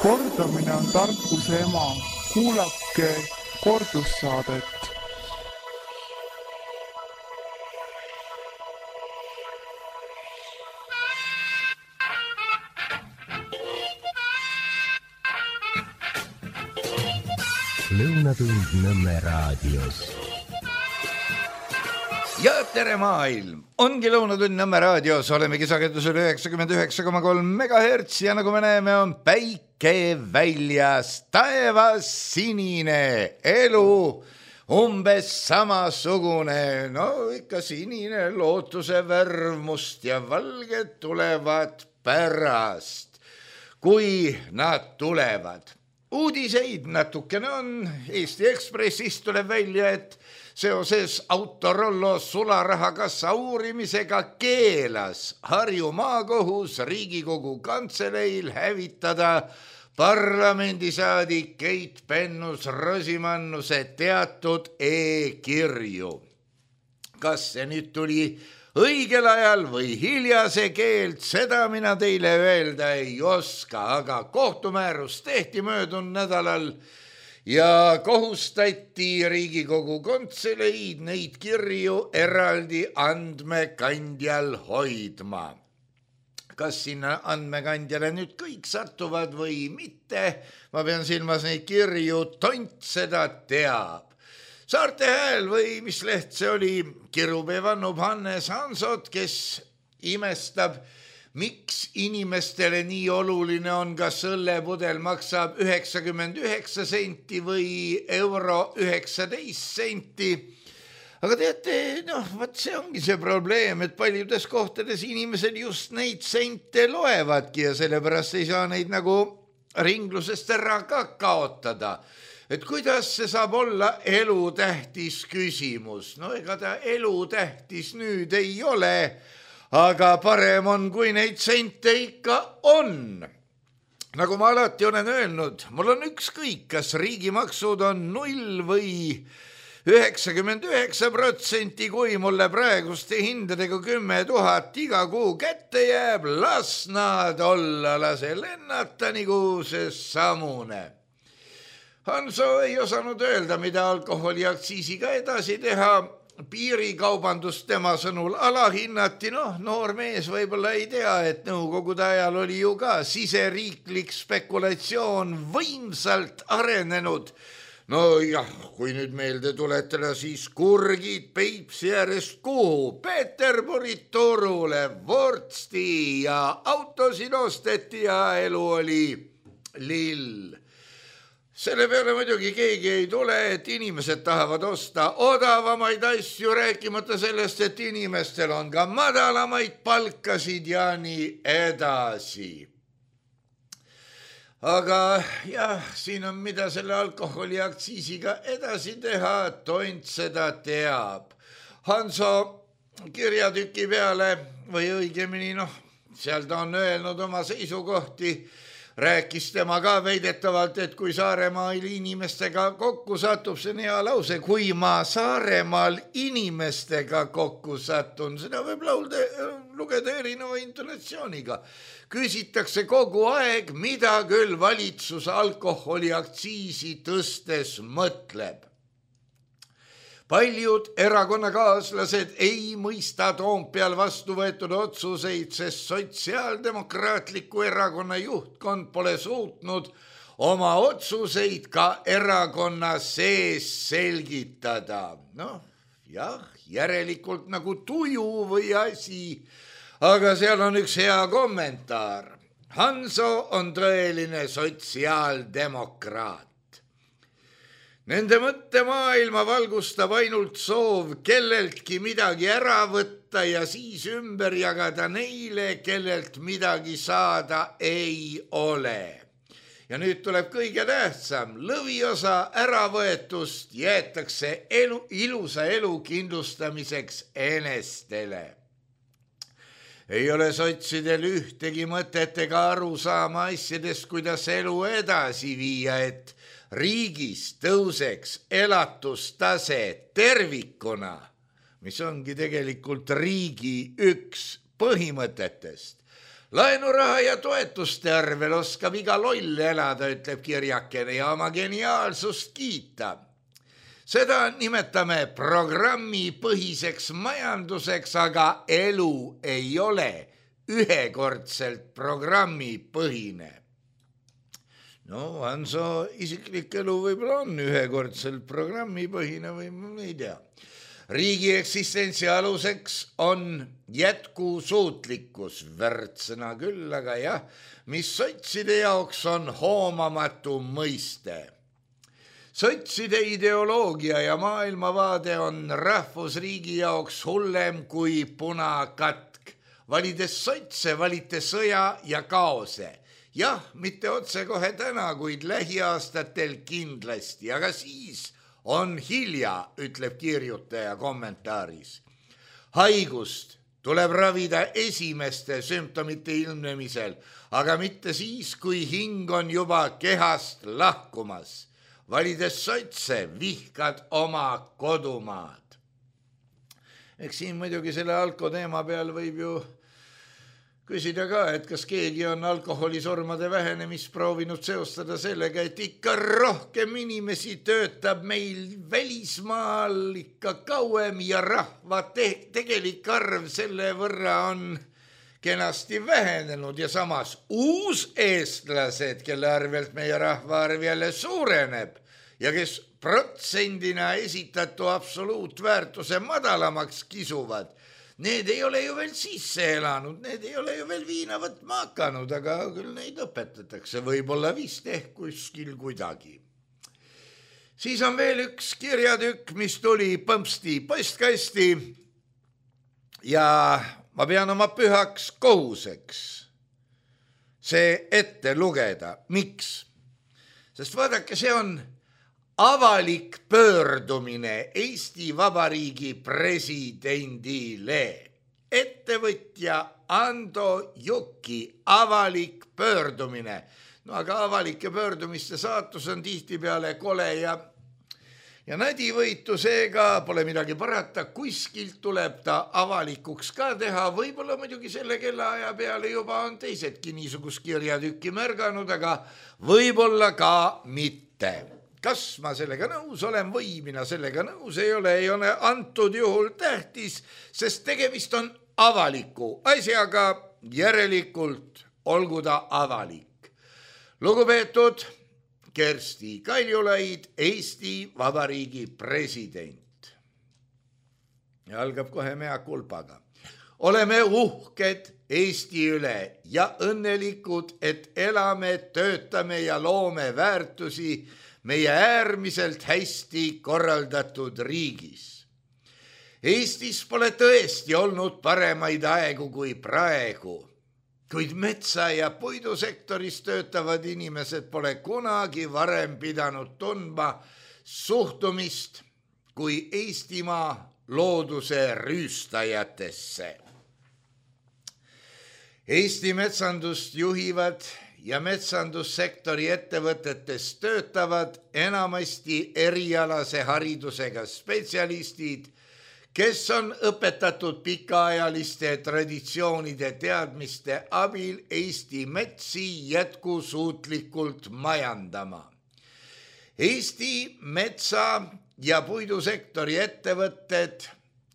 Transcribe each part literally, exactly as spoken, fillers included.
Kordamine on tarkuse ema. Kuulake kordussaadet. Lõunatund Nõmme raadios. Ja tere maailm! Ongi Lõunatund Nõmme raadios, olemegi sagedusel üheksakümmend üheksa koma kolm megahertsi ja nagu me näeme, on päike väljas, taevas sinine, elu umbes samasugune, no ikka sinine, lootuse värv, must ja valged tulevad pärast, kui nad tulevad. Uudiseid natukene on, Eesti Ekspressist tuleb välja, et seoses Autorollo sularahakassa uurimisega keelas Harju maakohus Riigikogu kantseleil hävitada parlamendisaadik Keit Pentus-Rosimannuse teatud e-kirju. Kas see nüüd tuli õigel ajal või hiljase keelt, seda mina teile öelda ei oska, aga kohtumäärus tehti möödunud nädalal ja kohustati Riigikogu kantseleid neid kirju eraldi andmekandjal hoidma. Kas sinna andmekandjale nüüd kõik satuvad või mitte, ma pean silmas neid kirju, tont seda teab. Saarte Hääl või mis leht see oli, kirub evannub Hannes Hansot, kes imestab, miks inimestele nii oluline on, kas õllepudel maksab üheksakümmend üheksa senti või euro üheksateist senti. Aga teate, noh, vaat see ongi see probleem, et paljudes kohtades inimesed just neid sente loevadki ja sellepärast ei saa neid nagu ringlusest ära ka kaotada. Et kuidas see saab olla elutähtis küsimus? No ega ta elutähtis nüüd ei ole, aga parem on, kui neid sente ikka on. Nagu ma alati olen öelnud, mul on ükskõik, kas riigimaksud on null või üheksakümmend üheksa protsenti, kui mulle praeguste hindadega kümme tuhat iga kuu kätte jääb, las nad olla, lase lennata nagu see samune. Hanso ei osanud öelda, mida alkoholiaktsiisiga edasi teha. Piirikaubandust tema sõnul alahinnati, noh, noor mees võib-olla ei tea, et nõukogude ajal oli ju ka siseriiklik spekulatsioon võimsalt arenenud. No jah, kui nüüd meelde tuletada, siis kurgid Peipsi äärest kuhu, Peterburit Turule, Vortsti ja autosid osteti ja elu oli lill. Selle peale muidugi keegi ei tule, et inimesed tahavad osta odavamaid asju, rääkimata sellest, et inimestel on ka madalamaid palkasid ja nii edasi. Aga jah, siin on mida selle alkoholiaktsiisiga edasi teha, tont seda teab. Hanso kirjatüki peale või õigemini, noh, seal ta on öelnud oma seisukohti, rääkis tema ka veidetavalt, et kui Saaremaal inimestega kokku satub, see on hea lause, kui ma Saaremaal inimestega kokku satun, seda võib laulda, lugeda erineva intonatsiooniga. Küsitakse kogu aeg, mida küll valitsus alkoholiaktsiisi tõstes mõtleb. Paljud erakonnakaaslased ei mõista Toompeal vastu võetud otsuseid, sest sotsiaaldemokraatliku erakonna juhtkond pole suutnud oma otsuseid ka erakonna sees selgitada. Noh, jah, järelikult nagu tuju või asi, aga seal on üks hea kommentaar. Hanso on tõeline sotsiaaldemokraat. Nende mõttemaailma valgustab ainult soov kelleltki midagi ära võtta ja siis ümber jagada neile, kellelt midagi saada ei ole. Ja nüüd tuleb kõige tähtsam, lõviosa äravõetust jäetakse elu, ilusa elu kindlustamiseks enestele. Ei ole sotsidel ühtegi mõtet ega aru saama asjadest, kuidas elu edasi viia, et riigis tõuseks elatustase tervikuna, mis ongi tegelikult riigi üks põhimõtetest. Laenuraha ja toetuste arvel oskab iga loll elada, ütleb kirjakene ja oma geniaalsust kiita. Seda nimetame programmi põhiseks majanduseks, aga elu ei ole ühekordselt programmi põhine. No Hanso isiklik elu võib-olla on ühekordselt programmi põhine või ma ei tea. Riigi eksistentsi aluseks on jätkusuutlikkus, värtsõna küll, aga jah, mis sotside jaoks on hoomamatu mõiste. Sotside ideoloogia ja maailmavaade on rahvusriigi jaoks hullem kui punakatk. Valides sotse, valite sõja ja kaose. Jah, mitte otse kohe täna, kuid lähiaastatel kindlasti, aga siis on hilja, ütleb kirjutaja kommentaaris. Haigust tuleb ravida esimeste sümptomite ilmnemisel, aga mitte siis, kui hing on juba kehast lahkumas. Valides sotse, vihkad oma kodumaad. Eks siin muidugi selle alko teema peal võib ju küsida ka, et kas keegi on alkoholisurmade vähenemist proovinud seostada sellega, et ikka rohkem inimesi töötab meil välismaal ikka kauem ja rahva te- tegelik arv selle võrra on kenasti vähenenud ja samas uuseestlased, kelle arvelt meie rahvaarv jälle suureneb ja kes protsendina esitatu absoluutväärtuse madalamaks kisuvad, need ei ole ju veel sisse elanud, need ei ole ju veel viina võtma hakanud, aga küll neid õpetatakse, võib-olla vist ehk kuskil kuidagi. Siis on veel üks kirjatükk, mis tuli põmpsti postkasti ja ma pean oma pühaks kohuseks see ette lugeda. Miks? Sest vaadake, see on avalik pöördumine Eesti Vabariigi presidendile. Ettevõtja Ando Juki avalik pöördumine. No aga avalike pöördumiste saatus on tihtipeale kole ja, ja nadivõitu, seega pole midagi parata. Kuskilt tuleb ta avalikuks ka teha. Võib-olla muidugi selle kellaaja peale juba on teisedki niisugust kirjatükki märganud, aga võib-olla ka mitte. Kas ma sellega nõus olen või mina sellega nõus ei ole, ei ole antud juhul tähtis, sest tegemist on avaliku asjaga, järelikult olgu ta avalik. Lugupeetud Kersti Kaljulaid, Eesti Vabariigi president. Ja algab kohe mea kulpaga. Oleme uhked Eesti üle ja õnnelikud, et elame, töötame ja loome väärtusi meie äärmiselt hästi korraldatud riigis. Eestis pole tõesti olnud paremaid aegu kui praegu, kuid metsa- ja puidusektoris töötavad inimesed pole kunagi varem pidanud tundma suhtumist kui Eestimaa looduse rüüstajatesse. Eesti metsandust juhivad ja metsandussektori ettevõtetes töötavad enamasti erialase haridusega spetsialistid, kes on õpetatud pikaajaliste traditsioonide teadmiste abil Eesti metsi jätkusuutlikult majandama. Eesti metsa- ja puidusektori ettevõtted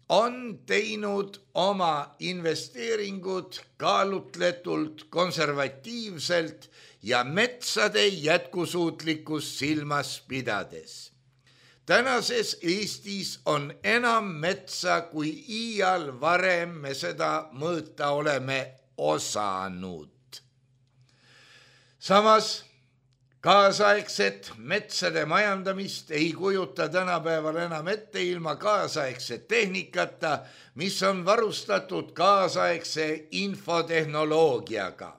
on teinud oma investeeringud kaalutletult, konservatiivselt ja metsade jätkusuutlikkust silmas pidades. Tänases Eestis on enam metsa, kui iial varem me seda mõõta oleme osanud. Samas kaasaegset metsade majandamist ei kujuta tänapäeval enam ette ilma kaasaegse tehnikata, mis on varustatud kaasaegse infotehnoloogiaga.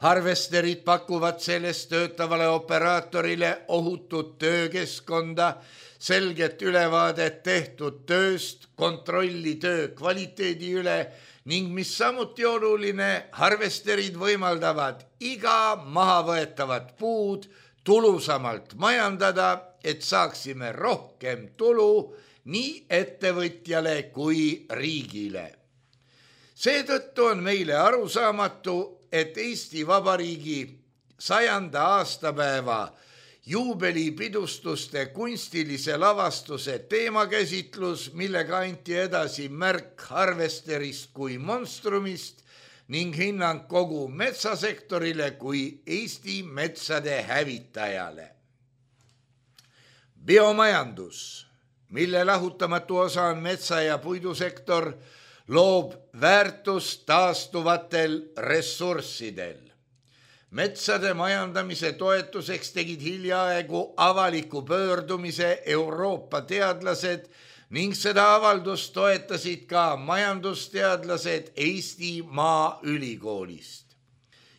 Harvesterid pakuvad sellest töötavale operaatorile ohutut töökeskkonda, selget ülevaadet tehtud tööst, kontrolli töö kvaliteedi üle ning mis samuti oluline, harvesterid võimaldavad iga mahavõetavat puud tulusamalt majandada, et saaksime rohkem tulu nii ettevõtjale kui riigile. Seetõttu on meile arusaamatu, et Eesti Vabariigi sajanda aastapäeva juubelipidustuste kunstilise lavastuse teemakäsitlus, millega anti edasi märk harvesterist kui monstrumist ning hinnang kogu metsasektorile kui Eesti metsade hävitajale. Biomajandus, mille lahutamatu osa on metsa- ja puidusektor, loob väärtust taastuvatel ressurssidel. Metsade majandamise toetuseks tegid hiljaaegu avaliku pöördumise Euroopa teadlased ning seda avaldust toetasid ka majandusteadlased Eesti Maaülikoolist.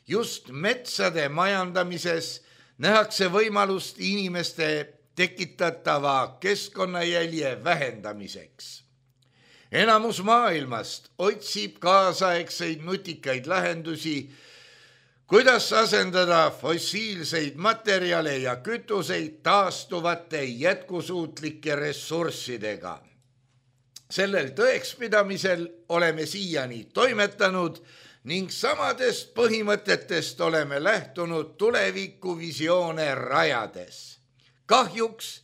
Just metsade majandamises nähakse võimalust inimeste tekitatava keskkonnajälje vähendamiseks. Enamus maailmast otsib kaasaegseid nutikaid lahendusi, kuidas asendada fossiilseid materjale ja kütuseid taastuvate jätkusuutlike ressurssidega. Sellel tõekspidamisel oleme siiani toimetanud ning samadest põhimõtetest oleme lähtunud tulevikuvisioone rajades. Kahjuks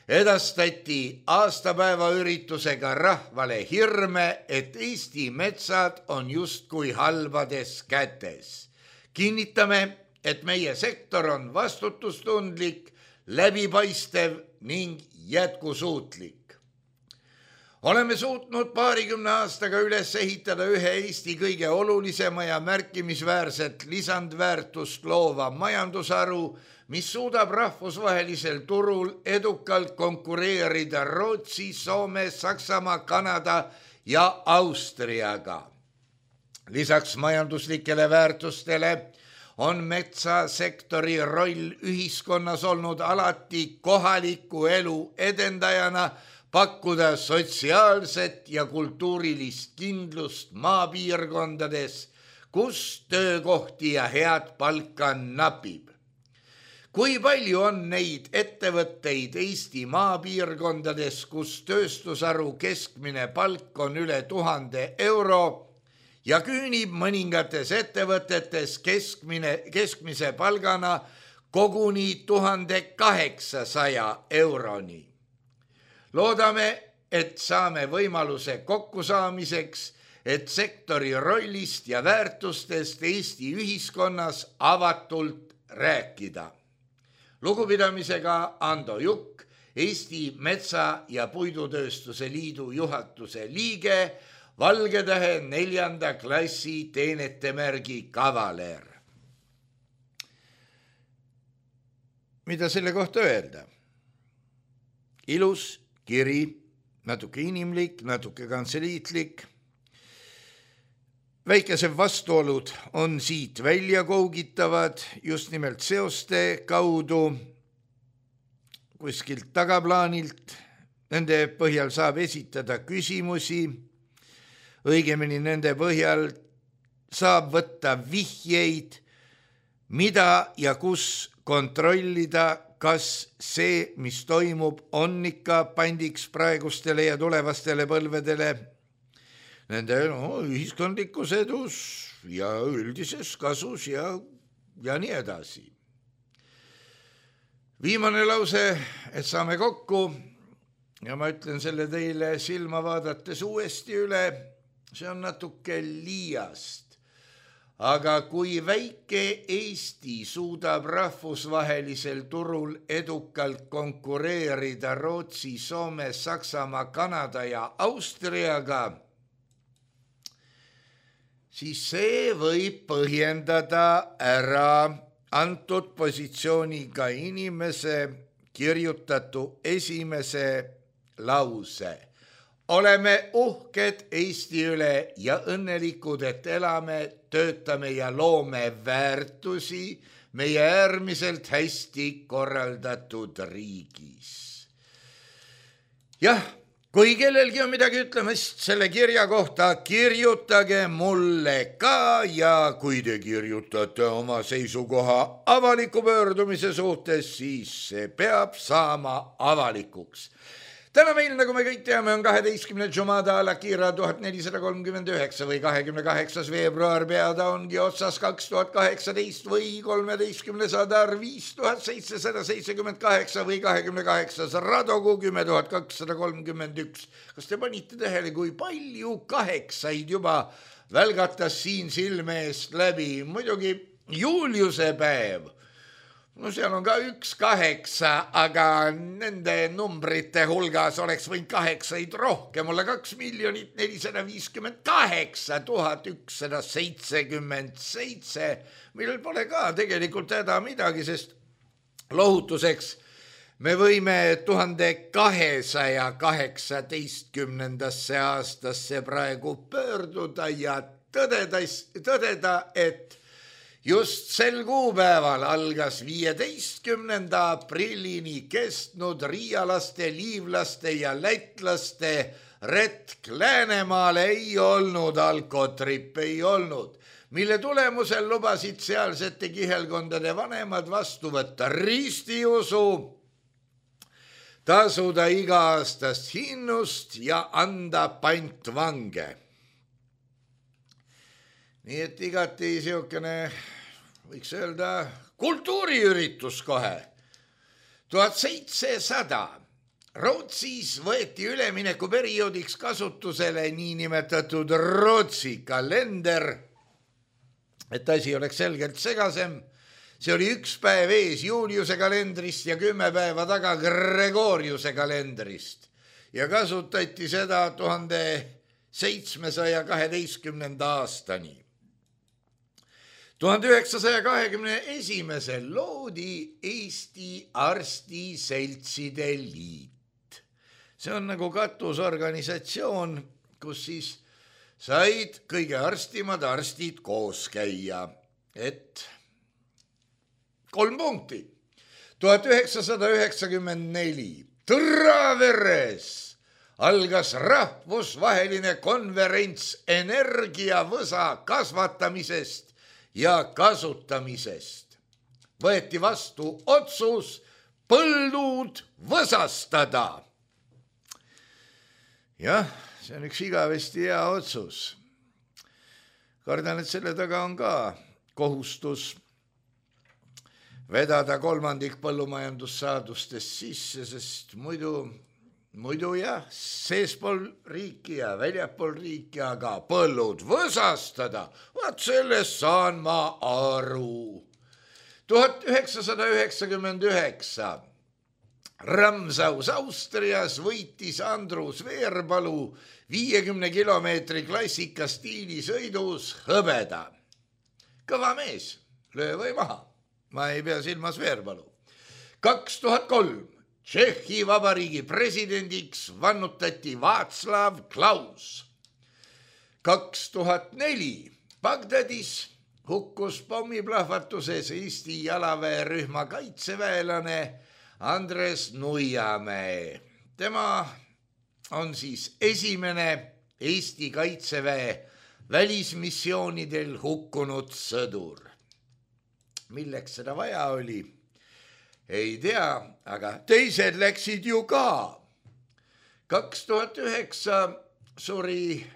edastati aastapäeva üritusega rahvale hirme, et Eesti metsad on justkui halbades kätes. Kinnitame, et meie sektor on vastutustundlik, läbipaistev ning jätkusuutlik. Oleme suutnud paarikümne aastaga üles ehitada ühe Eesti kõige olulisema ja märkimisväärset lisandväärtust loova majandusharu, mis suudab rahvusvahelisel turul edukalt konkureerida Rootsi, Soome, Saksamaa, Kanada ja Austriaga. Lisaks majanduslikele väärtustele on metsasektori roll ühiskonnas olnud alati kohaliku elu edendajana, pakkuda sotsiaalset ja kultuurilist kindlust maapiirkondades, kus töökohti ja head palka napib. Kui palju on neid ettevõtteid Eesti maapiirkondades, kus tööstusharu keskmine palk on üle tuhande euro, ja küünib mõningates ettevõtetes keskmine, keskmise palgana koguni tuhande kaheksasaja euroni. Loodame, et saame võimaluse kokkusaamiseks, et sektori rollist ja väärtustest Eesti ühiskonnas avatult rääkida. Lugupidamisega Ando Jukk, Eesti Metsa- ja Puidutööstuse Liidu juhatuse liige, Valgetähe neljanda klassi teenetemärgi kavaler. Mida selle kohta öelda? Ilus kiri, natuke inimlik, natuke kantseliitlik. Väikesed vastuolud on siit välja kougitavad just nimelt seoste kaudu kuskilt tagaplaanilt. Nende põhjal saab esitada küsimusi. Õigemini nende põhjal saab võtta vihjeid, mida ja kus kontrollida, kas see, mis toimub, on ikka pandiks praegustele ja tulevastele põlvedele, nende no, ühiskondlikus edus ja üldises kasus ja, ja nii edasi. Viimane lause, et saame kokku ja ma ütlen selle teile silma vaadates uuesti üle. See on natuke liiast, aga kui väike Eesti suudab rahvusvahelisel turul edukalt konkureerida Rootsi, Soome, Saksamaa, Kanada ja Austriaga, siis see võib põhjendada ära antud positsiooniga inimese kirjutatu esimese lause. Oleme uhked Eesti üle ja õnnelikud, et elame, töötame ja loome väärtusi meie äärmiselt hästi korraldatud riigis. Jah, kui kellelgi on midagi ütlemist selle kirja kohta, kirjutage mulle ka ja kui te kirjutate oma seisukoha avaliku pöördumise suhtes, siis see peab saama avalikuks. Täna meil, nagu me kõik teame, on kaheteistkümne Jumada al-Akira tuhat nelisada kolmkümmend üheksa või kahekümne kaheksas veebruar, peada ongi otsas kaks tuhat kaheksateist või kolmeteistkümnes Adar viis tuhat seitsesada seitsekümmend kaheksa või kahekümne kaheksas Radogu kümme tuhat kakssada kolmkümmend üks. Kas te panite tähele, kui palju kaheksaid juba välgatas siin silme eest läbi? Muidugi Juliuse päev. No seal on ka üks kaheksa, aga nende numbrite hulgas oleks võinud kaheksaid rohkem olla. Kaks miljonit nelisada viiskümmend kaheksa tuhat ükssada seitsekümmend seitse, millel pole ka tegelikult häda midagi, sest lohutuseks me võime tuhande kahesaja kaheksateistkümnendasse aastasse praegu pöörduda ja tõdeda, tõdeda, et just sel kuupäeval algas viieteistkümnenda aprillini kestnud riialaste, liivlaste ja lätlaste retk Läänemaale. Ei olnud alkotripp, ei olnud, mille tulemusel lubasid sealsete kihelkondade vanemad vastu võtta ristiusu, tasuda iga-aastast hinnust ja anda pantvange. Nii et igati siukene, võiks öelda, kultuuriüritus kohe. tuhat seitsesada Rootsis võeti ülemineku perioodiks kasutusele niinimetatud Rootsi kalender, et asi oleks selgelt segasem. See oli üks päev ees Juliuse kalendrist ja kümme päeva taga Gregoriuse kalendrist ja kasutati seda tuhande seitsmesaja kaheteistkümnenda aastani. tuhande üheksasaja kahekümne esimesel loodi Eesti Arstiseltside Liit. See on nagu katusorganisatsioon, kus siis said kõige arstimad arstid koos käia, et kolm punkti. tuhat üheksasada üheksakümmend neli Tõraveres algas rahvusvaheline konverents energiavõsa kasvatamisest ja kasutamisest. Võeti vastu otsus põldud võsastada. Jah, see on üks igavesti hea otsus. Kardan, et selle taga on ka kohustus vedada kolmandik põllumajandussaadustest sisse, sest muidu, muidu jah, seespool riiki ja väljapool riiki, aga põllud võsastada, vaat sellest saan ma aru. tuhat üheksasada üheksakümmend üheksa Ramsaus Austrias võitis Andrus Veerpalu viiekümne kilomeetri klassikastiili sõidus hõbeda. Kõva mees, löö või maha. Ma ei pea silmas Veerpalu. kaks tuhat kolm Tšehhi Vabariigi presidendiks vannutati Václav Klaus. kaks tuhat neli Bagdadis hukkus pommiplahvatuses Eesti jalaväerühma kaitseväelane Andres Nuiamäe. Tema on siis esimene Eesti kaitseväe välismissioonidel hukkunud sõdur. Milleks seda vaja oli? Ei tea, aga teised läksid ju ka. kaks tuhat üheksa suri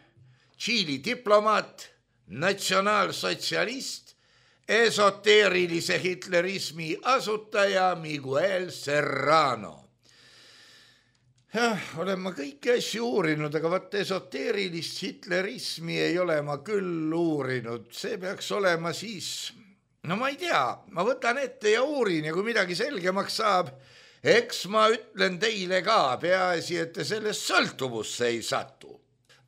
Tšiili diplomaat, natsionaalsotsialist, esoteerilise hitlerismi asutaja Miguel Serrano. Jah, olen ma kõiki asju uurinud, aga vaat esoteerilist hitlerismi ei ole ma küll uurinud. See peaks olema siis, no ma ei tea, ma võtan ette ja uurin ja kui midagi selgemaks saab, eks ma ütlen teile ka, peaasi, et te sellest sõltuvusse ei satu.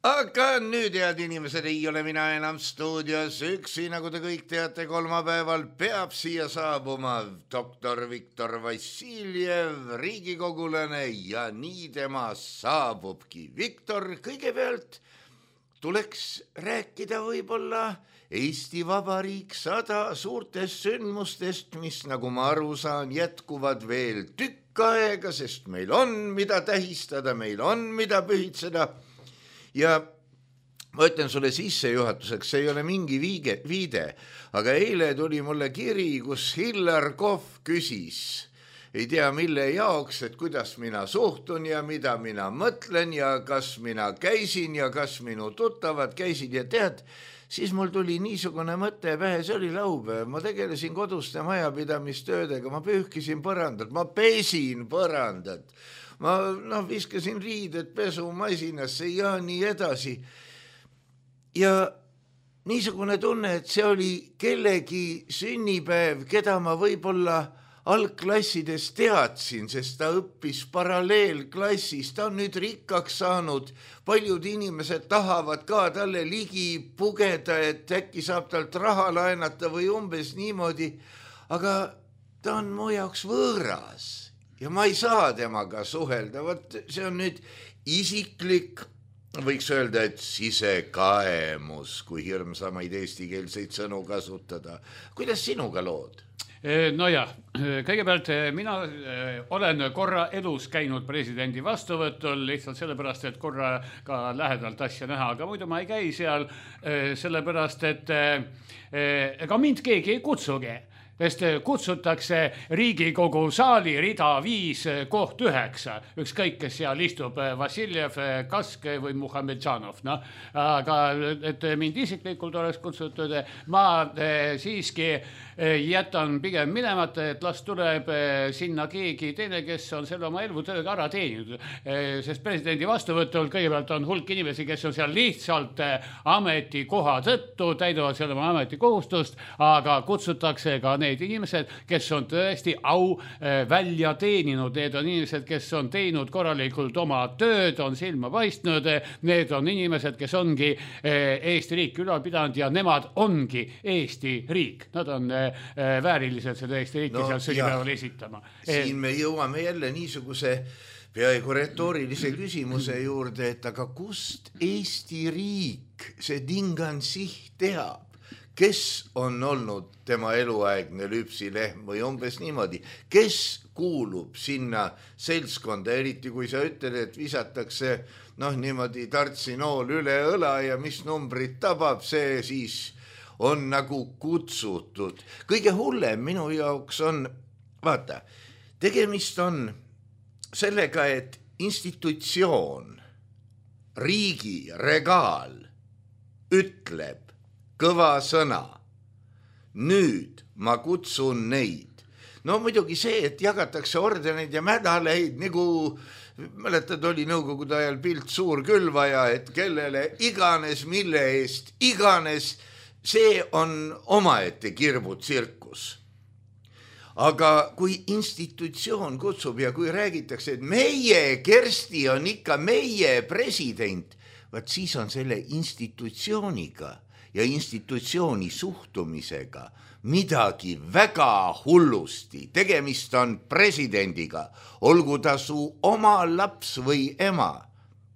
Aga nüüd, head inimesed, ei ole mina enam stuudios üksi, nagu te kõik teate, kolmapäeval peab siia saabuma doktor Viktor Vassiljev, riigikogulane, ja nii tema saabubki. Viktor, kõigepealt tuleks rääkida võib-olla Eesti Vabariik sada suurtest sündmustest, mis, nagu ma aru saan, jätkuvad veel tükk aega, sest meil on, mida tähistada, meil on, mida pühitseda. Ja ma ütlen sulle sissejuhatuseks, see ei ole mingi viige, viide, aga eile tuli mulle kiri, kus Hillar Kohv küsis, ei tea mille jaoks, et kuidas mina suhtun ja mida mina mõtlen ja kas mina käisin ja kas minu tuttavad käisid ja tead, siis mul tuli niisugune mõte pähe, see oli laupäev, ma tegelesin koduste majapidamistöödega, ma pühkisin põrandat, ma pesin põrandat, ma no, viskasin riided pesumasinasse ja nii edasi. Ja niisugune tunne, et see oli kellegi sünnipäev, keda ma võib-olla algklassides teadsin, sest ta õppis paralleelklassis, ta on nüüd rikkaks saanud, paljud inimesed tahavad ka talle ligi pugeda, et äkki saab talt raha laenata või umbes niimoodi, aga ta on mu jaoks võõras ja ma ei saa temaga suhelda, Võt, see on nüüd isiklik, võiks öelda, et sisekaemus, kui hirmsamaid eestikeelseid sõnu kasutada. Kuidas sinuga lood? No ja, kõigepealt mina olen korra elus käinud presidendi vastuvõtul lihtsalt sellepärast, et korra ka lähedalt asja näha, aga muidu ma ei käi seal sellepärast, et ega mind keegi ei kutsugi. Sest kutsutakse Riigikogu saali rida viis koht üheksa. Ükskõik, kes seal istub, Vassiljev, Kask või Muhamedžanov. No, aga et mind isiklikult oleks kutsutud, ma siiski jätan pigem minemata, et las tuleb sinna keegi teine, kes on selle oma elutööga ära teeninud. Sest presidendi vastuvõtul kõigepealt on hulk inimesi, kes on seal lihtsalt ametikoha tõttu, täidavad selle oma ametikohustust, aga kutsutakse ka need inimesed, kes on tõesti au välja teeninud. Need on inimesed, kes on teinud korralikult oma tööd, on silma paistnud. Need on inimesed, kes ongi Eesti riik ülal pidanud ja nemad ongi Eesti riik. Nad on väärilised seda Eesti riiki no, seal sünnipäeval esitama. Siin me jõuame jälle niisuguse peaaegu retoorilise küsimuse juurde, et aga kust Eesti riik see Dingansih teab? Kes on olnud tema eluaegne lüpsilehm või umbes niimoodi? Kes kuulub sinna seltskonda, eriti kui sa ütled, et visatakse noh, niimoodi tartsinool üle õla ja mis numbrit tabab, see siis on nagu kutsutud. Kõige hullem minu jaoks on, vaata, tegemist on sellega, et institutsioon, riigi regaal ütleb kõva sõna. Nüüd ma kutsun neid. No muidugi see, et jagatakse ordeneid ja medaleid, nagu mäletad, oli nõukogude ajal pilt suurkülvaja, et kellele iganes, mille eest iganes, see on omaette kirbutsirkus. Aga kui institutsioon kutsub ja kui räägitakse, et meie Kersti on ikka meie president, vaat siis on selle institutsiooniga ja institutsiooni suhtumisega midagi väga hullusti. Tegemist on presidendiga, olgu ta su oma laps või ema.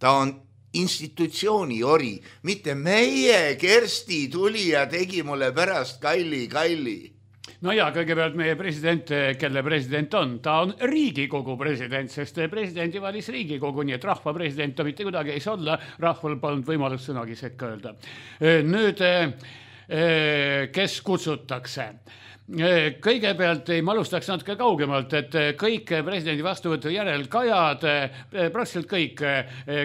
Ta on institutsiooni ori, mitte meie Kersti tuli ja tegi mulle pärast kalli, kalli. No ja kõigepealt meie president, kelle president on, ta on Riigikogu president, sest presidendi valis Riigikogu, nii et rahva president ta mitte kuidagi ei saa olla, rahval polnud võimalust sõnagi sekka öelda. Nüüd, kes kutsutakse? Kõigepealt ei ma alustaks natuke kaugemalt, et kõik presidendi vastuvõtu järel kajad, praktiliselt kõik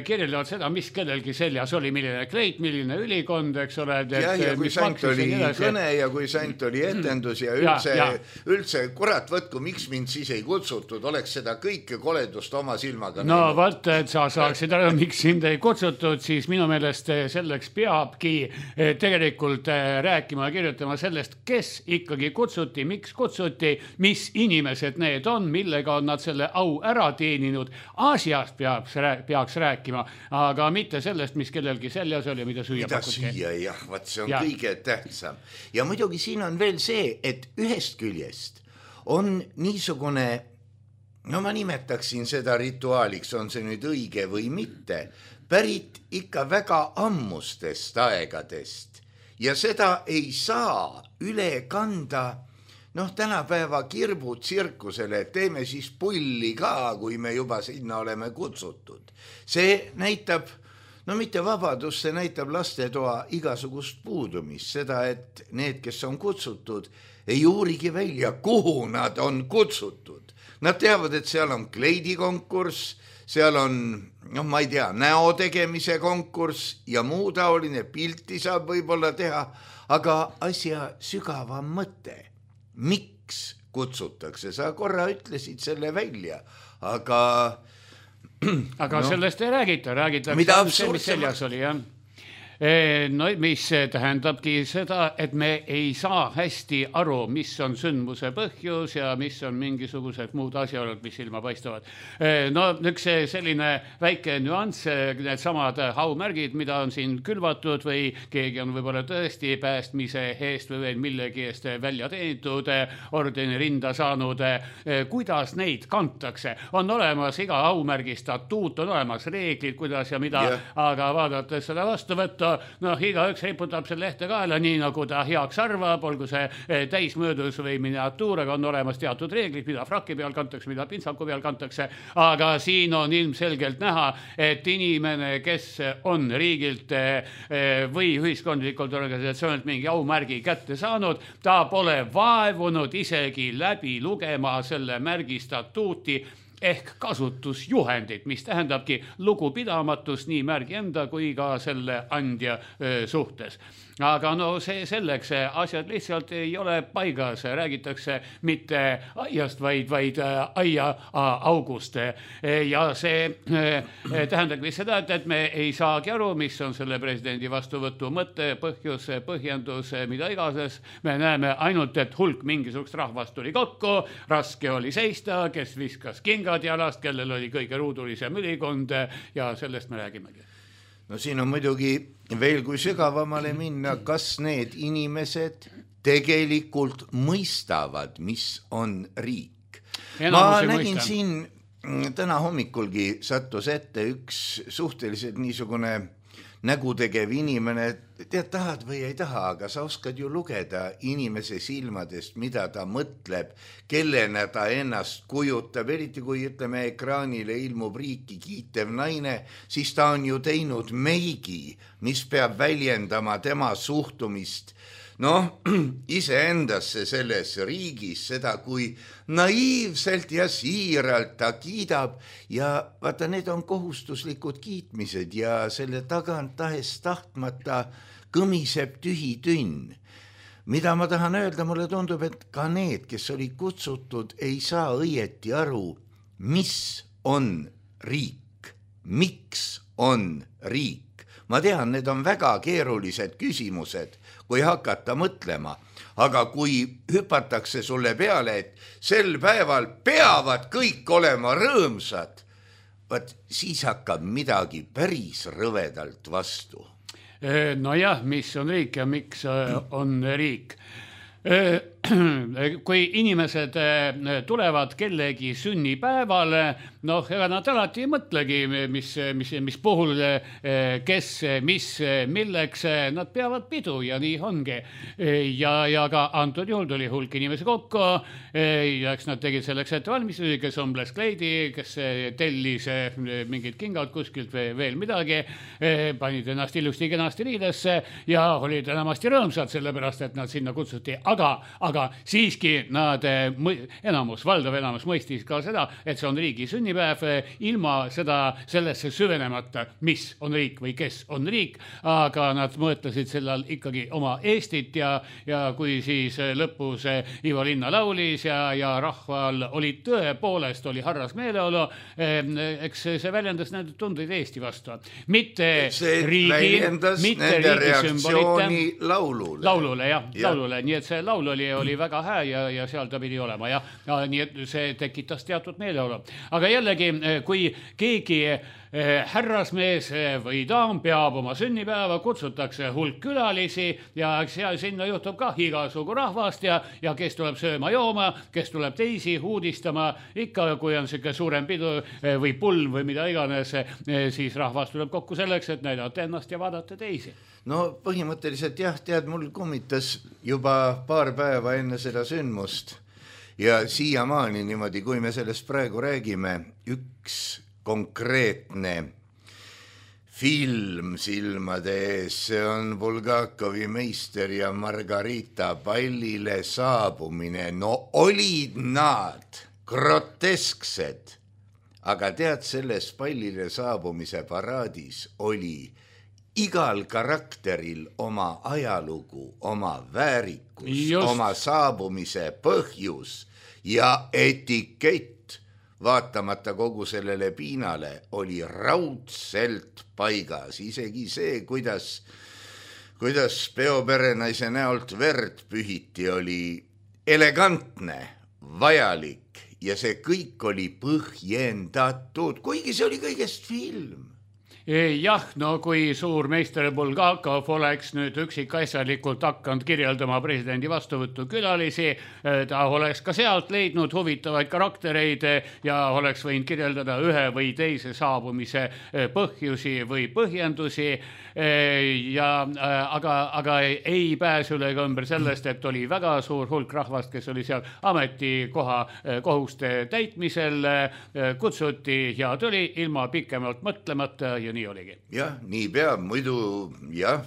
kirjeldavad seda, mis kellelgi seljas oli, milline kleit, milline ülikond, eks ole. Ja, ja kui sant oli kõne ja kui sant oli etendus ja üldse, ja, ja. üldse kurat võtku, miks mind siis ei kutsutud, oleks seda kõike koledust oma silmaga. No vaat, et sa saaksid ära, miks sind ei kutsutud, siis minu meelest selleks peabki tegelikult rääkima ja kirjutama sellest, kes ikkagi kutsutud. Kutsuti, miks kutsuti, mis inimesed need on, millega on nad selle au ära teeninud. Aasiast peaks, peaks rääkima, aga mitte sellest, mis kellelgi seljas oli, mida süüa mida pakuti. Mida süüa, jah, vaat see on ja. kõige tähtsam. Ja muidugi siin on veel see, et ühest küljest on niisugune, no ma nimetaksin seda rituaaliks, on see nüüd õige või mitte, pärit ikka väga ammustest aegadest. Ja seda ei saa üle kanda, noh, tänapäeva kirbutsirkusele, teeme siis pulli ka, kui me juba sinna oleme kutsutud. See näitab, no mitte vabadus, see näitab lastetoa igasugust puudumist, seda, et need, kes on kutsutud, ei uurigi välja, kuhu nad on kutsutud. Nad teavad, et seal on kleidikonkurss, seal on, noh, ma ei tea, näo tegemise konkurss ja muu taoline, pilti saab võib-olla teha, aga asja sügavam mõte. Miks kutsutakse? Sa korra ütlesid selle välja, aga... aga no, sellest ei räägita, räägitakse mida see, mis seljas oli, jah. No mis tähendabki seda, et me ei saa hästi aru, mis on sündmuse põhjus ja mis on mingisugused muud asjaolud, mis silma paistavad. No üks selline väike nüanss, need samad haumärgid, mida on siin külvatud või keegi on võib-olla tõesti päästmise eest või veel millegi eest välja teenitud, ordeni rinda saanud, kuidas neid kantakse. On olemas iga haumärgi statuut, on olemas reeglid, kuidas ja mida, yeah. aga vaadates seda vastu võtta, noh, igaüks riputab selle lehte kaela nii, nagu ta heaks arvab, olgu see täismöödus või miniatuur, aga on olemas teatud reeglid, mida fraki peal kantakse, mida pintsaku peal kantakse, aga siin on ilmselgelt näha, et inimene, kes on riigilt või ühiskondlikult organisatsioonilt mingi aumärgi kätte saanud, ta pole vaevunud isegi läbi lugema selle märgi statuuti, ehk kasutusjuhendid, mis tähendabki lugupidamatust nii märgi enda kui ka selle andja suhtes. Aga no see selleks, asjad lihtsalt ei ole paigas, räägitakse mitte aiast, vaid, vaid aia august. Ja see tähendabki seda, et, et me ei saagi aru, mis on selle presidendi vastuvõtu mõte, põhjus, põhjendus, mida igases. Me näeme ainult, et hulk mingisugust rahvast tuli kokku, raske oli seista, kes viskas kingad jalast, kellel oli kõige ruudulisem ülikond ja sellest me räägimegi. No siin on muidugi veel kui sügavamale minna, kas need inimesed tegelikult mõistavad, mis on riik. Ma nägin mõista. Siin täna hommikulgi sattus ette üks suhteliselt niisugune nägutegev inimene, tead, tahad või ei taha, aga sa oskad ju lugeda inimese silmadest, mida ta mõtleb, kellena ta ennast kujutab, eriti kui ütleme ekraanile ilmub riiki kiitev naine, siis ta on ju teinud meigi, mis peab väljendama tema suhtumist noh, iseendasse selles riigis, seda kui naiivselt ja siiralt ta kiidab ja vaata, need on kohustuslikud kiitmised ja selle tagant tahes tahtmata kõmiseb tühi tünn. Mida ma tahan öelda, mulle tundub, et ka need, kes olid kutsutud, ei saa õieti aru, mis on riik, miks on riik. Ma tean, need on väga keerulised küsimused, kui hakata mõtlema, aga kui hüpatakse sulle peale, et sel päeval peavad kõik olema rõõmsad, vaat siis hakkab midagi päris rõvedalt vastu. No jah, mis on riik ja miks on riik? Kui inimesed tulevad kellegi sünnipäevale, noh, ega nad alati ei mõtlegi, mis, mis, mis puhul, kes, mis, milleks, nad peavad pidu ja nii ongi. Ja, ja ka antud juhul tuli hulk inimesi kokku, ja eks nad tegid selleks ette valmistusi, kes ombles kleidi, kes tellis mingid kingad kuskilt või veel midagi, panid ennast ilusti kenasti riidesse ja olid enamasti rõõmsad, sellepärast, et nad sinna kutsuti. Aga, aga siiski nad, enamus, valdav enamus mõistis ka seda, et see on riigi sünnipäev, ilma seda sellesse süvenemata, mis on riik või kes on riik, aga nad mõtlesid sellal ikkagi oma Eestit ja, ja kui siis lõpus Ivo Linna laulis ja, ja rahval oli tõepoolest, oli harras meeleolu, eks see väljendas nende tundeid Eesti vastu. Mitte see riigi, mitte riigi reaktsiooni laulule. Laulule, jah, ja. laulule, nii et see laul oli, oli väga hää ja, ja seal ta pidi olema ja, ja nii et see tekitas teatud meeleolu. Aga jällegi, kui keegi härrasmees või daam peab oma sünnipäeva, kutsutakse hulk külalisi ja seal sinna juhtub ka igasugu rahvast ja, ja kes tuleb sööma jooma, kes tuleb teisi uudistama, ikka kui on siuke suurem pidu või pulm või mida iganes, siis rahvas tuleb kokku selleks, et näidata ennast ja vaadata teisi. No põhimõtteliselt jah, tead, mul kummitas juba paar päeva enne seda sündmust ja siiamaani niimoodi, kui me sellest praegu räägime, üks konkreetne film silmade ees, see on Bulgakovi Meister ja Margarita pallile saabumine. No olid nad grotesksed, aga tead, selles pallile saabumise paraadis oli igal karakteril oma ajalugu, oma väärikus, Just. oma saabumise põhjus ja etikett. Vaatamata kogu sellele piinale oli raudselt paigas, isegi see, kuidas, kuidas peoperenaise näolt verd pühiti, oli elegantne, vajalik ja see kõik oli põhjendatud, kuigi see oli kõigest film. Jah, no kui suur meister Bulgakov oleks nüüd üksikasjalikult hakanud kirjeldama presidendi vastuvõttu külalisi, ta oleks ka sealt leidnud huvitavaid karaktereid ja oleks võinud kirjeldada ühe või teise saabumise põhjusi või põhjendusi. Ja, aga, aga ei pääse üle ega ümber sellest, et oli väga suur hulk rahvast, kes oli seal ametikoha kohuste täitmisel, kutsuti ja tuli ilma pikemalt mõtlemata ja nii oligi. Jah, nii peab, muidu jah,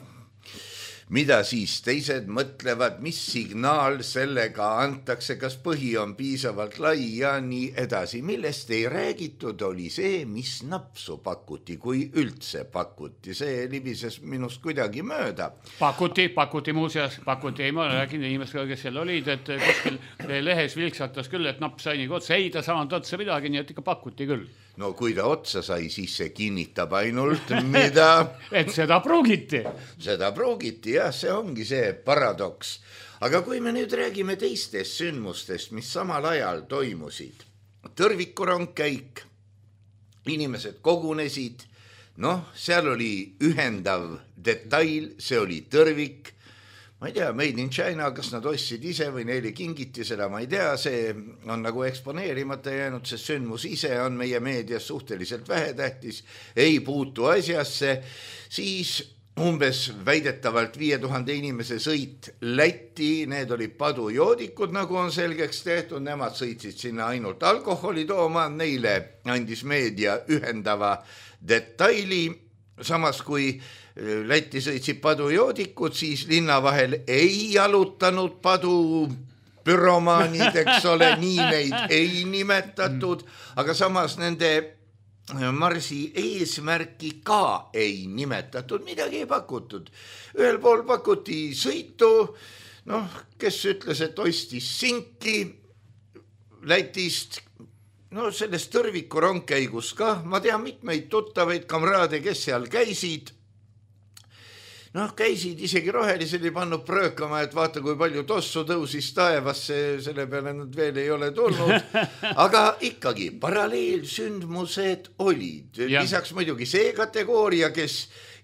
mida siis teised mõtlevad, mis signaal sellega antakse, kas põhi on piisavalt lai ja nii edasi. Millest ei räägitud, oli see, mis napsu pakuti, kui üldse pakuti. See libises minust kuidagi mööda. Pakuti, pakuti muuseas, pakuti, ei ma räägin inimestega, kes seal olid, et kuskil lehes vilksatas küll, et naps sai nii otsa, ei ta saanud otsa midagi, nii et ikka pakuti küll. No kui ta otsa sai, siis see kinnitab ainult, mida... et seda pruugiti. Seda pruugiti, jah, see ongi see paradoks. Aga kui me nüüd räägime teistest sündmustest, mis samal ajal toimusid, tõrvikurongkäik, inimesed kogunesid, noh, seal oli ühendav detail, see oli tõrvik, ma ei tea, Made in China, kas nad ostsid ise või neile kingiti seda, ma ei tea, see on nagu eksponeerimata jäänud, see sündmus ise on meie meedias suhteliselt vähetähtis, ei puutu asjasse, siis umbes väidetavalt viie tuhande inimese sõit Lätti, need olid padujoodikud, nagu on selgeks tehtud, nemad sõitsid sinna ainult alkoholi tooma, neile andis meedia ühendava detaili, samas kui Lätti sõitsid padujoodikud, siis linna vahel ei jalutanud padu pyromaanid, eks ole, nii neid ei nimetatud, aga samas nende marsi eesmärki ka ei nimetatud, midagi ei pakutud. Ühel pool pakuti sõitu, noh, kes ütles, et ostis sinki Lätist, no sellest tõrviku rongkäigus ka, ma tean mitmeid tuttavaid kamraade, kes seal käisid, noh, käisid, isegi rohelised ei pannud pröökama, et vaata, kui palju tossu tõusis taevasse, selle peale nad veel ei ole tulnud, aga ikkagi paralleelsündmused olid. Ja. Lisaks muidugi see kategooria, kes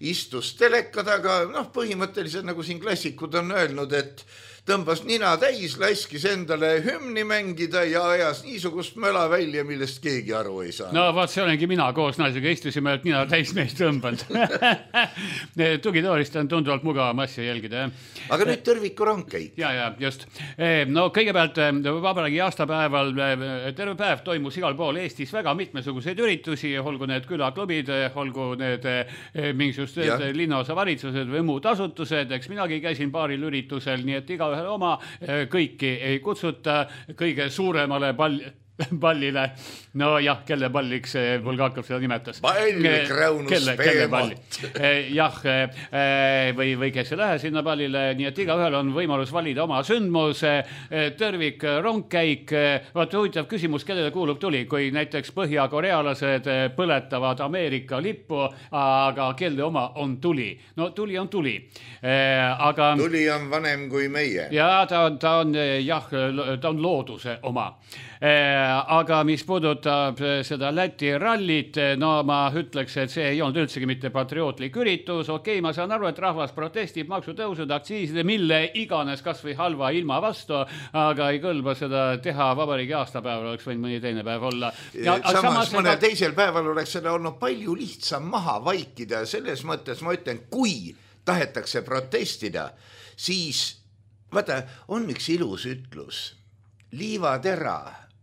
istus teleka taga, noh, põhimõtteliselt nagu siin klassikud on öelnud, et tõmbas nina täis, laskis endale hümni mängida ja ajas niisugust möla välja, millest keegi aru ei saa. No vaat, see olengi mina koos naisega, istusime, et nina täis meist tõmbanud. Tugitoolist on tunduvalt mugavam asja jälgida. Aga nüüd tõrviku rongkäik. Ja, ja, just. No kõigepealt vabariigi aastapäeval terve päev toimus igal pool Eestis väga mitmesuguseid üritusi, olgu need külaklubid, olgu need mingisugused linnaosa valitsused või muud asutused, eks minagi käisin paaril üritusel, nii et iga oma, kõiki ei kutsuta kõige suuremale pall, pallile, no jah, kelle palliks Bulgakov seda nimetas. Pall, Kraunus, Peemot. Jah, või, või kes ei lähe sinna pallile, nii et igaühel on võimalus valida oma sündmus, tõrvik, rongkäik, vaat huvitav küsimus, kellele kuulub tuli, kui näiteks põhjakorealased põletavad Ameerika lippu, aga kelle oma on tuli. No tuli on tuli. Aga... Tuli on vanem kui meie. Ja ta on, ta on, jah, ta on looduse oma. Aga mis puudutab seda Läti rallit, no ma ütleks, et see ei olnud üldsegi mitte patriootlik üritus. Okei, ma saan aru, et rahvas protestib maksutõusud, aktsiiside, mille iganes kas või halva ilma vastu, aga ei kõlba seda teha vabariigi aastapäeval, oleks võinud mõni teine päev olla. Ja, samas, samas mõne seda... teisel päeval oleks seda olnud palju lihtsam maha vaikida. Selles mõttes ma ütlen, kui tahetakse protestida, siis vaata, on üks ilus ütlus. Liivatera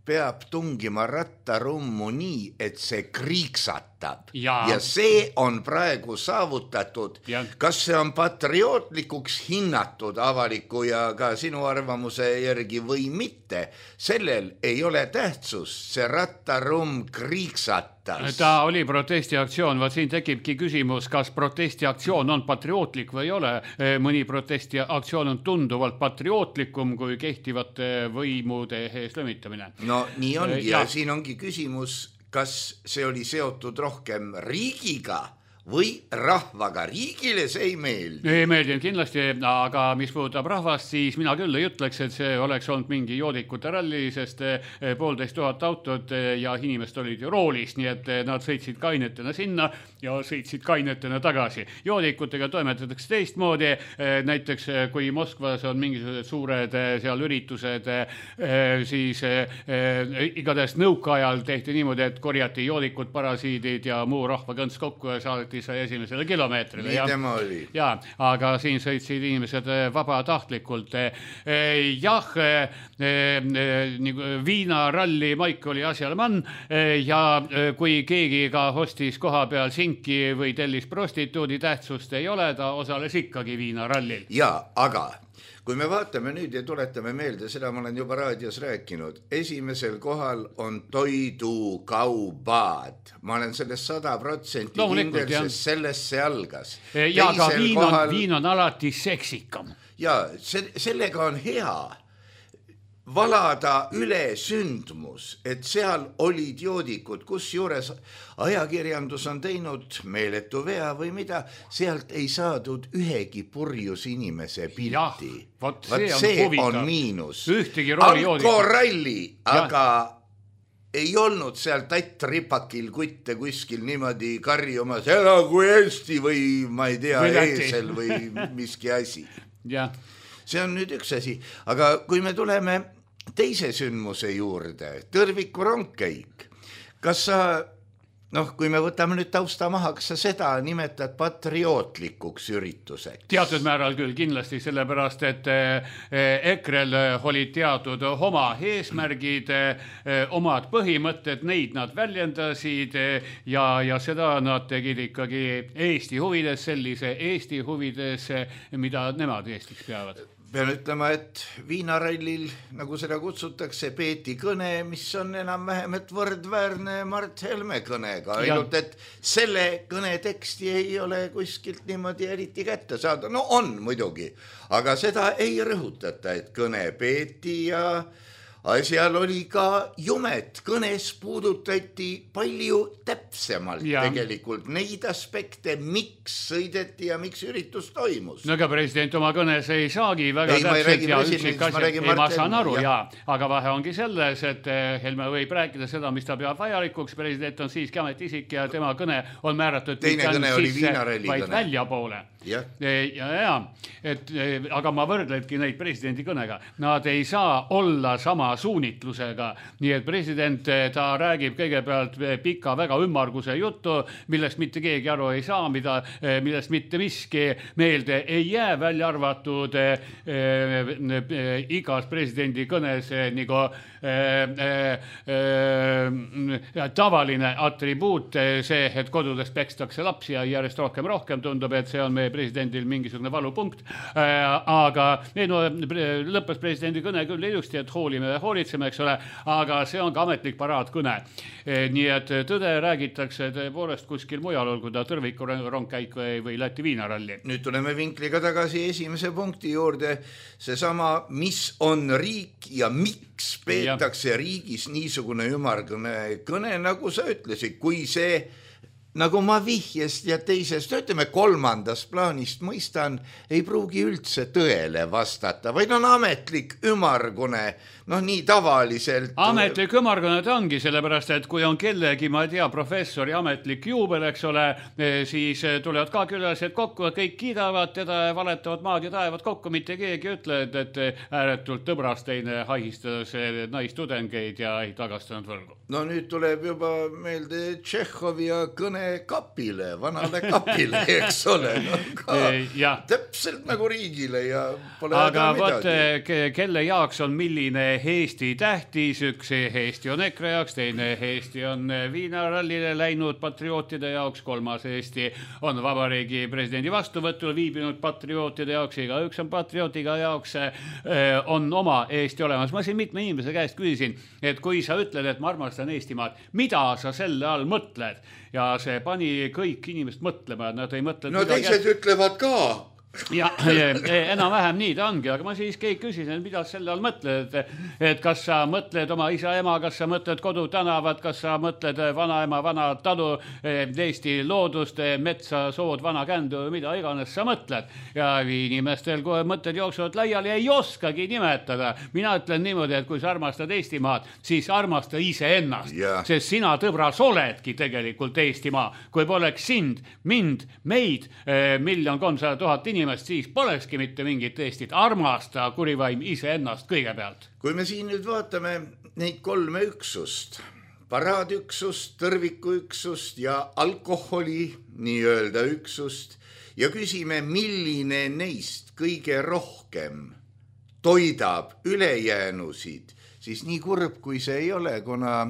peab tungima rattarummu nii, et see kriiksat. äratab ja, ja see on praegu saavutatud. Ja. Kas see on patriootlikuks hinnatud avaliku ja ka sinu arvamuse järgi või mitte, sellel ei ole tähtsust, see rattarumm kriiksatas. Ta oli protestiaktsioon, vaat siin tekibki küsimus, kas protestiaktsioon on patriootlik või ei ole. Mõni protestiaktsioon on tunduvalt patriootlikum kui kehtivate võimude ees lömitamine. No nii ongi ja, ja siin ongi küsimus, kas see oli seotud rohkem riigiga või rahvaga. Riigile see ei meeldi. Ei meeldinud kindlasti, aga mis puudutab rahvast, siis mina küll ei ütleks, et see oleks olnud mingi joodikute ralli, sest poolteist tuhat autot ja inimesed olid ju roolis, nii et nad sõitsid kainetena sinna ja sõitsid kainetena tagasi. Joodikutega toimetatakse teistmoodi, näiteks kui Moskvas on mingisugused suured seal üritused, siis igatahes nõukaajal tehti niimoodi, et korjati joodikud, parasiidid ja muu rahvakõnts kokku ja saadeti sai esimesele kilomeetrile. Nii tema oli. Ja, aga siin sõitsid inimesed vabatahtlikult. Jah, viinaralli maik oli asjalmann ja kui keegi ka hostis koha peal sinki või tellis prostituudi, tähtsust ei ole, ta osales ikkagi viinarallil. Ja, aga kui me vaatame nüüd ja tuletame meelde, seda ma olen juba raadios rääkinud, esimesel kohal on toidukaubad. Ma olen sellest sada protsenti kindel, sest sellest see algas. Ja ka viin on, kohal... viin on alati seksikam. Ja se- sellega on hea valada üle sündmus, et seal olid joodikud, kus juures ajakirjandus on teinud meeletu vea või mida, sealt ei saadud ühegi purjus inimese pilti. Vot see, on, see on miinus. Alkoralli, aga ei olnud seal Tatt Ripakil kutte kuskil niimoodi karjumas, elagu Eesti või ma ei tea, eesel või miski asi. Ja. See on nüüd üks asi, aga kui me tuleme teise sündmuse juurde, Tõrviku rongkäik, kas sa, noh, kui me võtame nüüd tausta maha, kas sa seda nimetad patriootlikuks ürituseks? Teatud määral küll kindlasti, sellepärast, et EKRE-l olid teatud oma eesmärgid, omad põhimõtted, neid nad väljendasid ja, ja seda nad tegid ikkagi Eesti huvides, sellise Eesti huvides, mida nemad Eestiks peavad. Pean ütlema, et viinarallil, nagu seda kutsutakse, peeti kõne, mis on enam-vähem et võrdväärne Mart Helme kõnega. Ainult, et selle kõne teksti ei ole kuskilt niimoodi eriti kätte saada. No on muidugi, aga seda ei rõhutata, et kõne peeti ja asjal oli ka jumet. Kõnes puudutati palju täpsemalt ja. Tegelikult neid aspekte, miks sõideti ja miks üritus toimus. No aga president oma kõnes ei saagi väga ei, täpselt ja üksik asja. Ei, ma saan aru, ja. Ja. Aga vahe ongi selles, et Helme võib rääkida seda, mis ta peab vajalikuks. President on siiski ametiisik ja tema kõne on määratud teine kõne oli viinaralli vaid kõne. Välja poole. Ja. Ja, ja, et, aga ma võrdledki neid presidendi kõnega. Nad ei saa olla sama suunitlusega. Nii et president, ta räägib kõigepealt pika väga ümmarguse juttu, millest mitte keegi aru ei saa, mida, millest mitte miski meelde ei jää, välja arvatud eh, eh, igas presidendi kõnes eh, nagu eh, eh, tavaline atribuut, see, et kodudest pekstakse lapsi ja järjest rohkem rohkem tundub, et see on meie presidendil mingisugune valupunkt, aga ei, no, lõppes presidendi kõne küll ilusti, et hoolime ja hoolitseme, eks ole, aga see on ka ametlik paraadkõne. Nii et tõde räägitakse tõepoolest kuskil mujal, olgu ta Tõrviku rongkäik või, või Läti viinaralli. Nüüd tuleme vinkliga tagasi esimese punkti juurde, seesama, mis on riik ja miks peetakse ja. Riigis niisugune ümarkõne kõne, nagu sa ütlesid, kui see nagu ma vihjest ja teisest, ütleme kolmandast plaanist mõistan, ei pruugi üldse tõele vastata, vaid on ametlik ümargune, noh nii tavaliselt. Ametlik ümargune ta ongi, sellepärast, et kui on kellegi, ma ei tea, professori ametlik juubel, eks ole, siis tulevad ka külalised kokku, kõik kiidavad teda, valetavad maad ja taevad kokku, mitte keegi ütle, et, et ääretult tõbrasteine haihistades naistudengeid ja ei tagastanud võlgu. No nüüd tuleb juba meelde Tšehhovi ja kõne kapile, vanale kapile, eks ole, no ka ja. täpselt nagu riigile ja pole aga võt, kelle jaoks on milline Eesti tähtis, üks Eesti on EKRE jaoks, teine Eesti on Viinarallile läinud patriootide jaoks, kolmas Eesti on vabariigi presidendi vastuvõtul viibinud patriootide jaoks, iga üks on patriotiga jaoks, on oma Eesti olemas. Ma siin mitme inimese käest küsisin, et kui sa ütled, et ma armastan Eestimaad, mida sa selle all mõtled? Ja see pani kõik inimest mõtlema, et nad ei mõtle... No teised ütlevad ka. Ja enam vähem nii ta ongi, aga ma siis keegi küsisin, mida selle all mõtled, et, et kas sa mõtled oma isa ema, kas sa mõtled kodutänavad, kas sa mõtled vanaema, vana talu, Eesti loodust, metsa, sood, vana kändu, mida iganes sa mõtled. Ja inimestel, kui mõtted jooksuvad laiali, ei oskagi nimetada. Mina ütlen niimoodi, et kui sa armastad Eestimaad, siis armasta ise ennast, yeah. Sest sina, tõbras, oledki tegelikult Eestimaa. Kui poleks sind, mind, meid, miljon kolmsada tuhat inimest, siis polekski mitte mingit Eestit. Armasta kurivaim ise ennast kõigepealt. Kui me siin nüüd vaatame neid kolme üksust, paraadüksust, tõrvikuüksust ja alkoholi nii-öelda üksust ja küsime, milline neist kõige rohkem toidab ülejäänusid, siis nii kurb kui see ei ole, kuna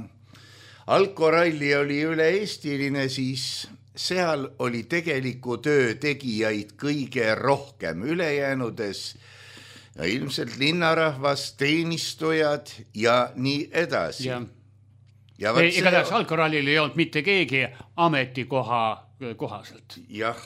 alkoralli oli üle-eestiline, siis seal oli tegeliku töö tegijaid kõige rohkem ülejäänudes ja ilmselt linnarahvas, teenistujad ja nii edasi. Ja, ja ei, see... igatahes alkorallil ei olnud mitte keegi ametikoha kohaselt. Jah,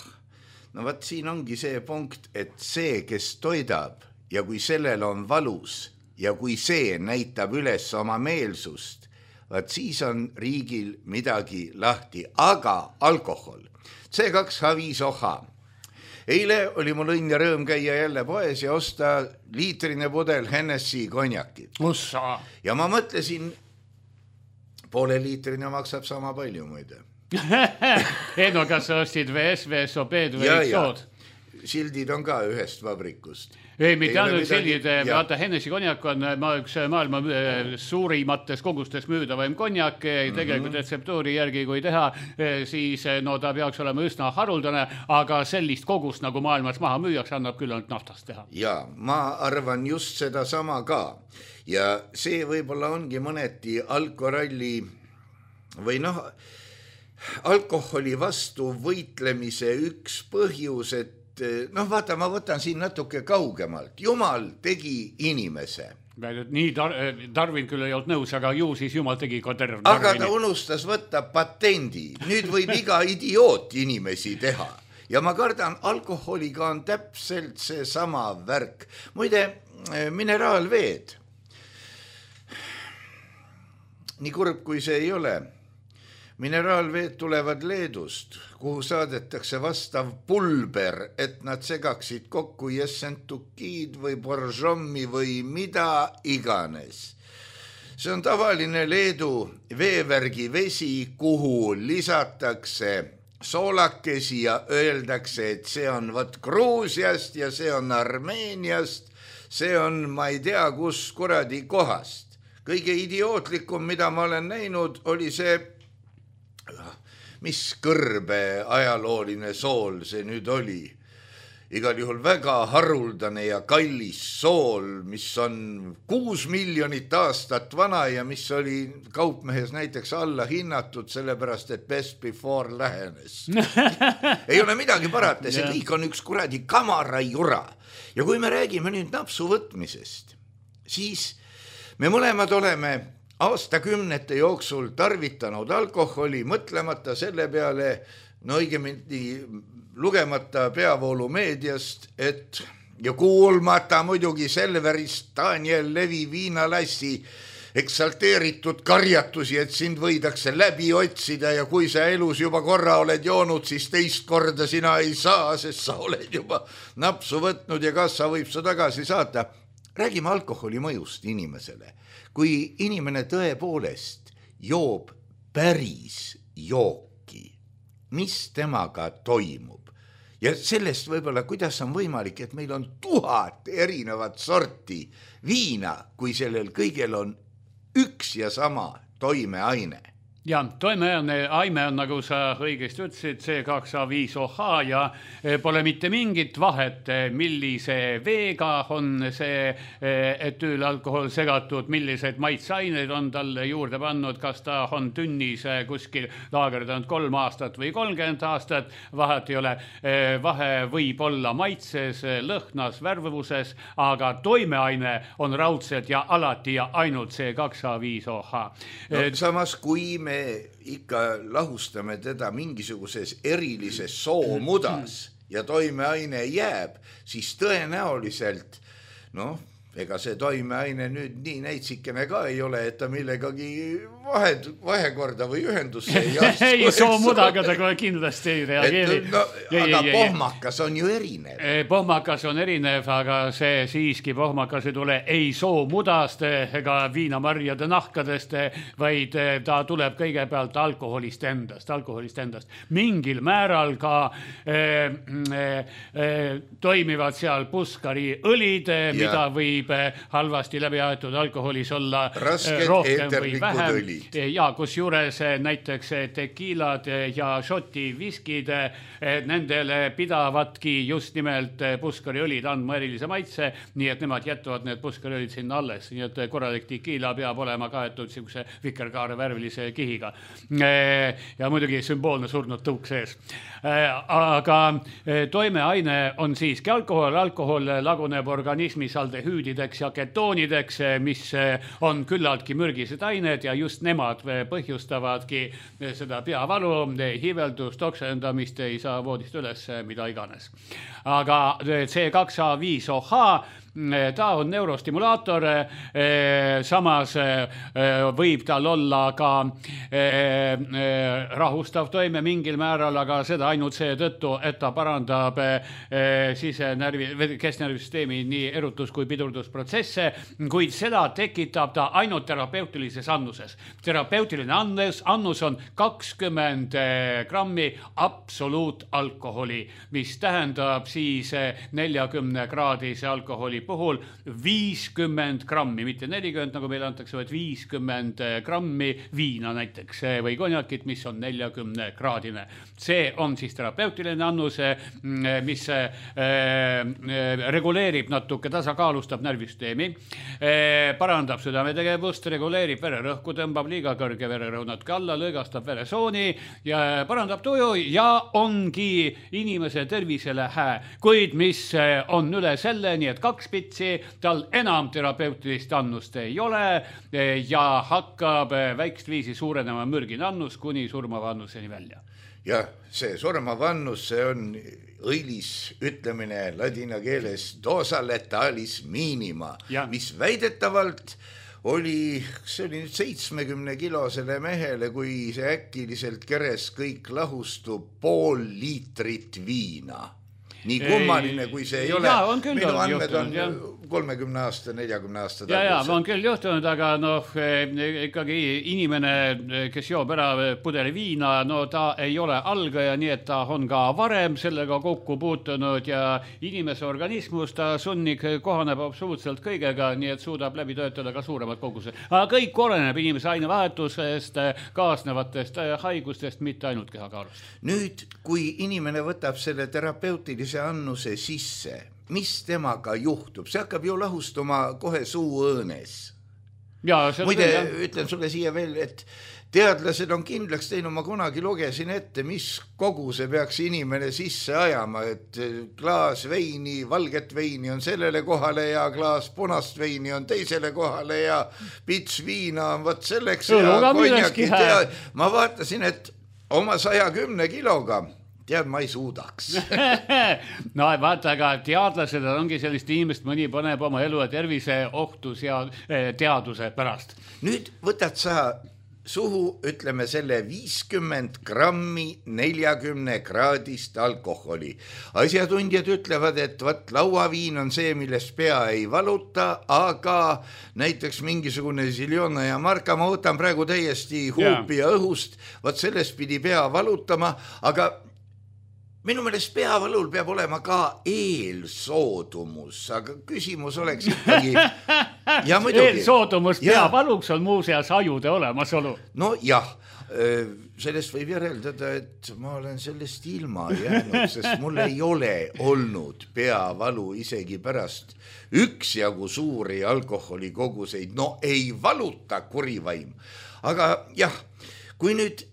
no vaat siin ongi see punkt, et see, kes toidab ja kui sellel on valus ja kui see näitab üles oma meelsust, vaat siis on riigil midagi lahti, aga alkohol, C kaks H viis O H. Eile oli mul õnn ja rõõm käia jälle poes ja osta liitrine pudel Hennessy konjakit. Ussa. Ja ma mõtlesin, poole liitrine maksab sama palju muide. Ei no, kas sa ostid V S, V S O B-d või ja, sood? Sildid on ka ühest vabrikust. Ei, mitte ainult sildid, vaata Hennessy konjak on ma üks maailma suurimates kogustes müüdavaim konjak, tegelikult retseptuuri järgi kui teha, siis no ta peaks olema üsna haruldane, aga sellist kogust nagu maailmas maha müüjaks annab küll ainult naftast teha. Ja, ma arvan just seda sama ka. Ja see võib-olla ongi mõneti alkoralli või noh, alkoholi vastu võitlemise üks põhjus, et noh, vaata, ma võtan siin natuke kaugemalt. Jumal tegi inimese. Nii tar Darwin küll ei olnud nõus, aga ju siis Jumal tegi ka terve. Aga ta unustas võtta patendi. Nüüd võib iga idioot inimesi teha. Ja ma kardan, alkoholiga on täpselt see sama värk. Muide, mineraalveed. Nii kurb, kui see ei ole. Mineraalveed tulevad Leedust, kuhu saadetakse vastav pulber, et nad segaksid kokku jessentukiid või boržommi või mida iganes. See on tavaline Leedu veevärgi vesi, kuhu lisatakse soolakesi ja öeldakse, et see on võt Gruusiast ja see on Armeeniast, see on ma ei tea kus kuradi kohast. Kõige idiootlikum, mida ma olen näinud, oli see mis kõrbe ajalooline sool see nüüd oli. Igal juhul väga haruldane ja kallis sool, mis on kuus miljonit aastat vana ja mis oli kaupmehes näiteks alla hinnatud, sellepärast, et best before lähenes. Ei ole midagi parata, see kõik on üks kuradi kamarajura. Ja kui me räägime nüüd napsu võtmisest, siis me mõlemad oleme aastakümnete jooksul tarvitanud alkoholi, mõtlemata selle peale, no õigemini lugemata peavoolumeediast, et ja kuulmata muidugi Selverist Daniel Levi viinalassi eksalteeritud karjatusi, et sind võidakse läbi otsida ja kui sa elus juba korra oled joonud, siis teist korda sina ei saa, sest sa oled juba napsu võtnud ja kas sa võib sa tagasi saata. Räägime alkoholi mõjust inimesele. Kui inimene tõepoolest joob päris jooki, mis temaga toimub? Ja sellest võib-olla, kuidas on võimalik, et meil on tuhat erinevat sorti viina, kui sellel kõigel on üks ja sama toimeaine. Ja toimeaine aine on, nagu sa õigesti ütlesid, C kaks A viis O H ja pole mitte mingit vahet, millise veega on see etüülalkohol segatud, millised maitseaineid on talle juurde pannud, kas ta on tünnis kuskil laagerdanud kolm aastat või kolmkümmend aastat, vahet ei ole. Vahe võib olla maitses, lõhnas, värvuses, aga toimeaine on raudselt ja alati ja ainult C kaks A viis O H. No, samas kui me ikka lahustame teda mingisuguses erilises soomudas ja toimeaine jääb, siis tõenäoliselt, noh, ega see toimeaine nüüd nii näitsikene ka ei ole, et ta millegagi vahed, vahekorda või ühendusse ei astu. Ei, soomudaga ta kohe kindlasti ei reageeri. No, ei, aga ei, pohmakas on ju erinev. Pohmakas on erinev, aga see siiski pohmakas ei tule ei soomudast ega viinamarjade nahkadest, vaid ta tuleb kõigepealt alkoholist endast, alkoholist endast. Mingil määral ka eh, eh, toimivad seal puskari õlid, ja. Mida võib halvasti läbi aetud alkoholis olla rasked rohkem või vähem. Õlid. Ja kus juures näiteks tekiilad ja šoti viskid, nendele pidavatki just nimelt puskariõlid andma erilise maitse, nii et nemad jätavad need puskariõlid sinna alles. Nii et korralik tekiila peab olema kaetud sihukese vikerkaare värvilise kihiga. Ja muidugi sümboolne surnud tõuk sees. Aga toimeaine on siiski alkohol. Alkohol laguneb organismis aldehüüdideks ja ketoonideks, mis on küllaltki mürgised ained ja just nemad põhjustavadki seda peavalu, hiiveldust, oksendamist, ei saa voodist üles, mida iganes. Aga C kaks A viis O H ta on neurostimulaator, samas võib tal olla ka rahustav toime mingil määral, aga seda ainult see tõttu, et ta parandab sisenärvi, kesknärvisüsteemi nii erutus- kui pidurdusprotsesse, kuid seda tekitab ta ainult terapeutilises annuses. Terapeutiline annus, annus on kakskümmend grammi absoluutalkoholi, mis tähendab siis neljakümne kraadise alkoholi puhul viiskümmend grammi, mitte nelikümmend, nagu meile antakse, vaid viiskümmend grammi viina näiteks või konjakit, mis on neljakümne kraadine. See on siis terapeutiline annus, mis reguleerib natuke, tasakaalustab närvisüsteemi, parandab südametegevust, reguleerib vererõhku, tõmbab liiga kõrge vererõhu natuke alla, lõõgastab veresooni ja parandab tuju ja ongi inimese tervisele hää. Kuid mis on üle selle, nii et kaks pitsi, tal enam terapeutilist annust ei ole ja hakkab väikest viisi suurenema mürgine annus kuni surmava annuseni välja. Ja see surmava annus, see on õilis ütlemine ladina keeles dosa letalis minima, ja. Mis väidetavalt oli, see oli nüüd seitsmekümne kilosele mehele, kui see äkiliselt keres kõik lahustub pool liitrit viina. Nii kummaline, kui see ei ole. Ja, on küll minu andmed juhtunud, on kolmekümne aasta, neljakümne aasta ja, ja, on küll juhtunud, aga noh, ikkagi inimene, kes joob ära pudeli viina, no ta ei ole algaja, nii et ta on ka varem sellega kokku puutunud ja inimese organismus ta sunnik kohaneb absoluutselt kõigega, nii et suudab läbi töötada ka suuremad kogused. Aga kõik oleneb inimese ainevahetusest, kaasnevatest haigustest, mitte ainult kehakaalust. Nüüd, kui inimene võtab selle terapeutilise annuse sisse, mis temaga juhtub? See hakkab ju lahustuma kohe suuõõnes. Muide, ütlen sulle siia veel, et teadlased on kindlaks teinud, ma kunagi lugesin ette, mis koguse peaks inimene sisse ajama, et klaas veini, valget veini on sellele kohale ja klaas punast veini on teisele kohale ja pits viina on võt selleks ja konjakid. Ma vaatasin, et oma saja kümne kiloga tead, ma ei suudaks. No vaata, aga teadlased ongi sellist inimest, mõni paneb oma elu ja tervise ohtu teaduse pärast. Nüüd võtad sa suhu, ütleme selle viiskümmend grammi neljakümne kraadist alkoholi. Asjatundjad ütlevad, et võt lauaviin on see, millest pea ei valuta, aga näiteks mingisugune Ziljona ja Marka, ma võtan praegu täiesti huupi ja õhust, võt sellest pidi pea valutama, aga minu meelest peavalul peab olema ka eelsoodumus, aga küsimus oleks ikkagi ja muidugi. Eelsoodumus peavaluks on muuseas ajude olemasolu. No jah, sellest võib järeldada, et ma olen sellest ilma jäänud, sest mul ei ole olnud peavalu isegi pärast üksjagu suuri alkoholikoguseid, no ei valuta kurivaim. Aga jah, kui nüüd,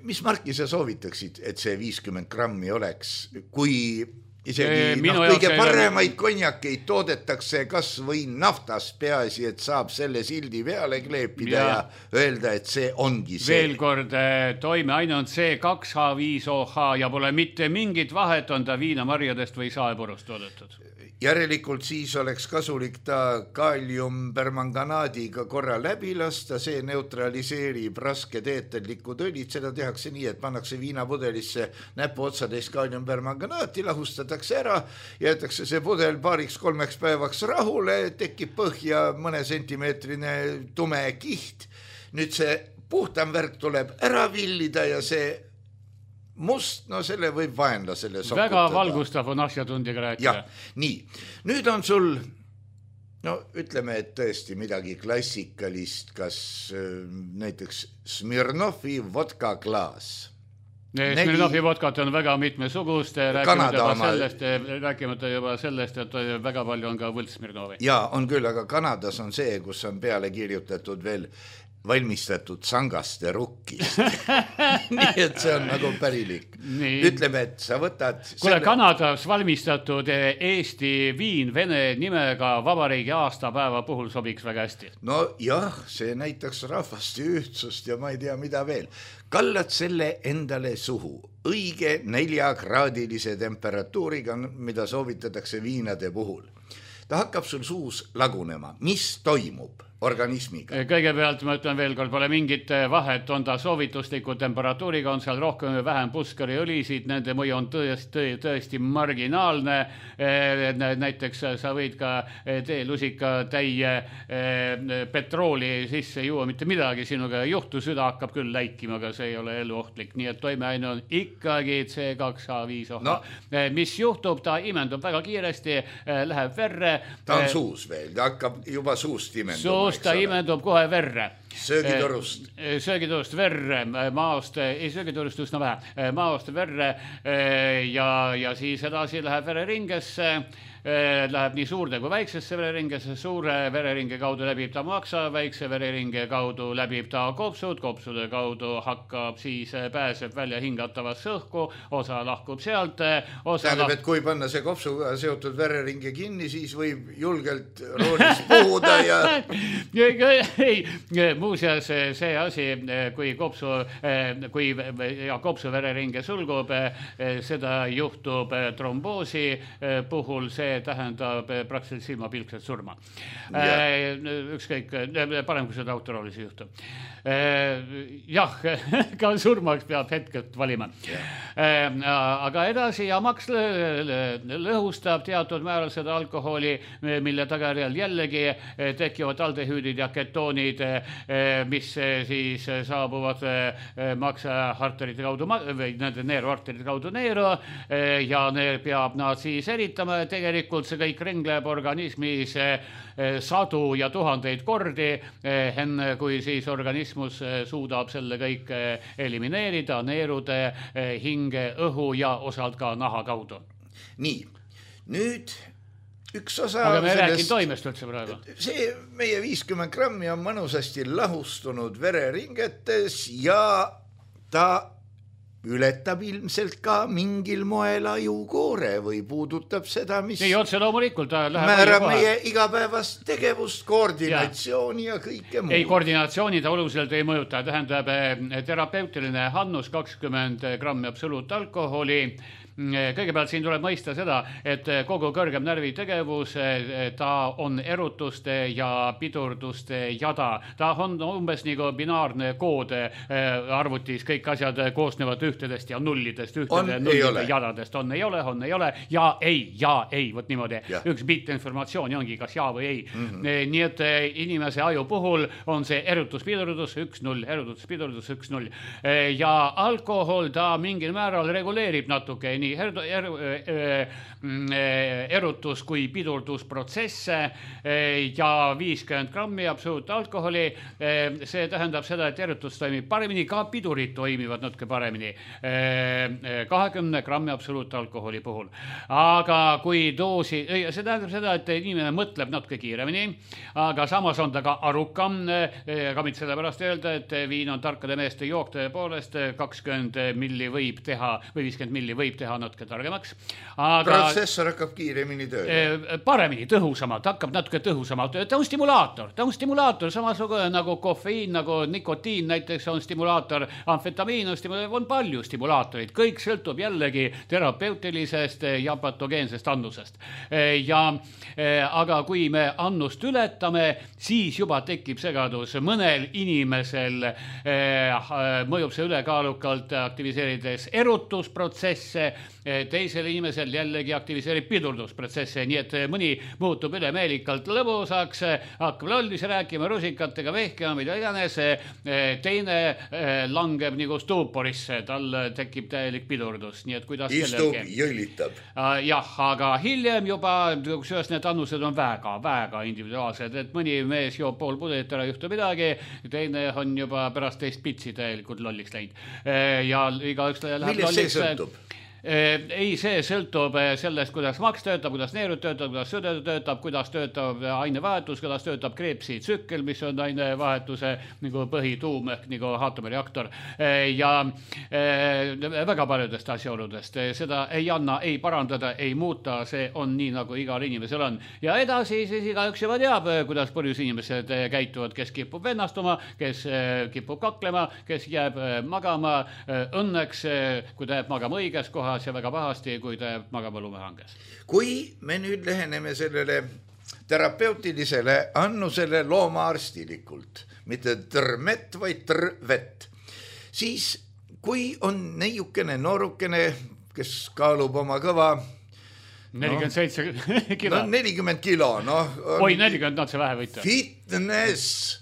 mis Marki sa soovitaksid, et see viiskümmend grammi oleks, kui isegi no, kõige paremaid konjakeid toodetakse kas või naftas, peaasi, et saab selle sildi peale kleepida ja, ja öelda, et see ongi see. Veel kord toime ainult see kaks H viis O H ja pole mitte mingit vahet, on ta viinamarjadest või saepurust toodetud. Järelikult siis oleks kasulik ta kaaliumpermanganaadiga korra läbi lasta, see neutraliseerib rasked eeterlikud õlid, seda tehakse nii, et pannakse viinapudelisse näpu otsadest kaaliumpermanganaati, lahustatakse ära, jäetakse see pudel paariks kolmeks päevaks rahule, tekib põhja mõne sentimeetrine tume kiht, nüüd see puhtam värk tuleb ära villida ja see must, no selle võib vaenlasele sokutada. Väga valgustav on asjatundjaga rääkida. Ja, nii. Nüüd on sul, no ütleme, et tõesti midagi klassikalist, kas näiteks Smirnovi vodka klaas. Smirnovi vodkat on väga mitmesugust, rääkimata juba, sellest, rääkimata juba sellest, et väga palju on ka võlts Smirnovi. Ja, on küll, aga Kanadas on see, kus on peale kirjutatud veel valmistatud sangaste rukkist. Nii, et see on nagu pärilik. Nii. Ütleme, et sa võtad... Kule, selle... Kanadas valmistatud Eesti viin vene nimega vabariigi aastapäeva puhul sobiks väga hästi. No jah, see näitaks rahvaste ühtsust ja ma ei tea, mida veel. Kallad selle endale suhu õige neljakraadilise temperatuuriga, mida soovitatakse viinade puhul. Ta hakkab sul suus lagunema. Mis toimub organismiga? Kõigepealt ma ütlen veel kord, pole mingit vahet, on ta soovitusliku temperatuuriga, on seal rohkem või vähem puskari õlisid, nende mõju on tõesti, tõesti marginaalne. Näiteks sa võid ka teelusika täie petrooli sisse juua, mitte midagi sinuga ei juhtu, süda hakkab küll läikima, aga see ei ole eluohtlik, nii et toimeaine on ikkagi C kaks H viis O H. No. Mis juhtub, ta imendub väga kiiresti, läheb verre. Ta on suus veel, ta hakkab juba suust imenduma. Suust ta imendub kohe verre. Söögitorust. Söögitorust verre, maost, ei söögitorust üsna vähe, maost verre ja, ja siis edasi läheb vereringesse, läheb nii suurde kui väiksesse vereringesse, suure vereringe kaudu läbib ta maksa, väikse vereringe kaudu läbib ta kopsud, kopsude kaudu hakkab siis pääseb välja hingatavasse õhku, osa lahkub sealt. Osa tähendab, lahk... et kui panna see kopsuga seotud vereringe kinni, siis võib julgelt roolis puhuda ja... ei, muuseas see asi, kui kopsu, kui ja kopsu vereringe sulgub, seda juhtub tromboosi puhul, see tähendab praktiliselt silmapilkset surma. Yeah. Ükskõik, parem kui seda autoroolis juhtub. Jah, ka surmaks peab hetkelt valima. Yeah. Aga edasi ja maks lõhustab teatud määral seda alkoholi, mille tagajärjel jällegi tekivad aldehüüdid ja ketoonid, mis siis saabuvad maksaarterite kaudu või nende neeruarterite kaudu neeru ja neer peab nad siis eritama. Tegelikult see kõik ringleb organismis sadu ja tuhandeid kordi, enne kui siis organismus suudab selle kõik elimineerida neerude, hinge, õhu ja osalt ka naha kaudu. Nii, nüüd üks osa... Aga me räägin toimest üldse praegu. See meie viiskümmend grammi on mõnusasti lahustunud vereringetes ja ta ületab ilmselt ka mingil moel ajukoore või puudutab seda, mis ei, otse loomulikult määrab meie igapäevast tegevust, koordinatsiooni ja, ja kõike muud. Ei, koordinatsiooni ta oluliselt ei mõjuta. Tähendab, terapeutiline hannus kakskümmend grammi absoluutalkoholi. Kõigepealt siin tuleb mõista seda, et kogu kõrgem närvitegevus, ta on erutuste ja pidurduste jada. Ta on umbes nagu binaarne kood arvutis, kõik asjad koosnevad ühtedest ja nullidest, ühtede nullide jadadest. On, ei ole, on, ei ole, ja ei, ja ei, võt niimoodi. Ja. Üks bitt informatsiooni ongi kas ja või ei. Mm-hmm. Nii et inimese aju puhul on see erutus, pidurdus, üks null, erutus, pidurdus, üks null. Ja alkohol ta mingil määral reguleerib natuke nii er, er, er, erutus kui pidurdusprotsesse ja viiskümmend grammi absoluutalkoholi. See tähendab seda, et erutus toimib paremini, ka pidurid toimivad natuke paremini kahekümne grammi absoluutalkoholi puhul. Aga kui doosi, see tähendab seda, et inimene mõtleb natuke kiiremini, aga samas on ta ka arukam. Ka mitte sellepärast öelda, et viin on tarkade meeste jook tõepoolest, kakskümmend milli võib teha või viiskümmend milli võib teha natuke targemaks. Aga protsessor hakkab kiiremini tööle. Paremini, tõhusamalt, hakkab natuke tõhusamalt. Ta on stimulaator, ta on stimulaator, samasugune nagu kofeiin, nagu nikotiin näiteks on stimulaator, amfetamiin on stimulaator, on palju stimulaatorid. Kõik sõltub jällegi terapeutilisest ja patogeensest annusest. Ja, aga kui me annust ületame, siis juba tekib segadus. Mõnel inimesel mõjub see ülekaalukalt aktiviseerides erutusprotsesse, teisel inimesel jällegi aktiviseerib pidurdusprotsesse, nii et mõni muutub ülemeelikalt lõbusaks, hakkab lollisi rääkima, rusikatega vehkima, mida iganes, teine langeb nagu stuuporisse, tal tekib täielik pidurdus, nii et kuidas istub, jõllitab. Jah, aga hiljem juba, kusjuures need annused on väga, väga individuaalsed, et mõni mees joob pool pudelit ära, juhtu midagi, teine on juba pärast teist pitsi täielikult lolliks läinud ja igaüks läheb lolliks. Millest see sõltub? Ei, see sõltub sellest, kuidas maks töötab, kuidas neerud töötab, kuidas süda töötab, kuidas töötab ainevahetus, kuidas töötab kreepsi tsükkel, mis on ainevahetuse nagu põhituum ehk nagu aatomireaktor ja väga paljudest asjaoludest. Seda ei anna, ei parandada, ei muuta, see on nii, nagu igal inimesel on. Ja edasi siis igaüks juba teab, kuidas põhjus inimesed käituvad, kes kipub vennastuma, kes kipub kaklema, kes jääb magama. Õnneks, kui ta jääb magama õiges kohas, ja väga pahasti, kui ta jääb magama lumehanges. Kui me nüüd läheneme sellele terapeutilisele annusele loomaarstilikult, mitte trmet, vaid trvet, siis kui on neiukene noorukene, kes kaalub oma kõva nelikümmend seitse kilo. No nelikümmend kilo, noh. Oi, nelikümmend nad see vähe võita. Fitness.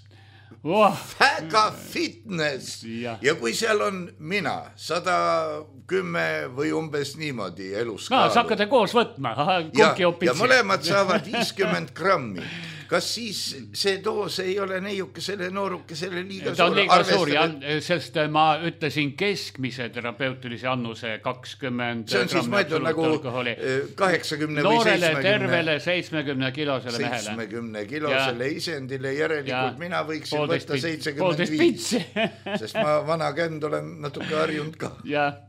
Oh. Väga fitness. Ja. ja kui seal on mina, sada kümme või umbes niimoodi elus no, kaalu. Sakkate koos võtma. Aha, ja, ja mõlemad saavad viiskümmend grammi. Kas siis see doos ei ole neiukesele noorukesele liiga ta suur? Ta on liiga suur, ja, sest ma ütlesin keskmise terapeutilise annuse kakskümmend see on siis mõeldud nagu kaheksakümne või noorele tervele seitsmekümne kilosele mehele. seitsmekümne kilosele ja. Isendile järelikult ja. Mina võiksin võtta seitsekümmend viis. Sest ma vana känd olen natuke harjunud ka. Jah.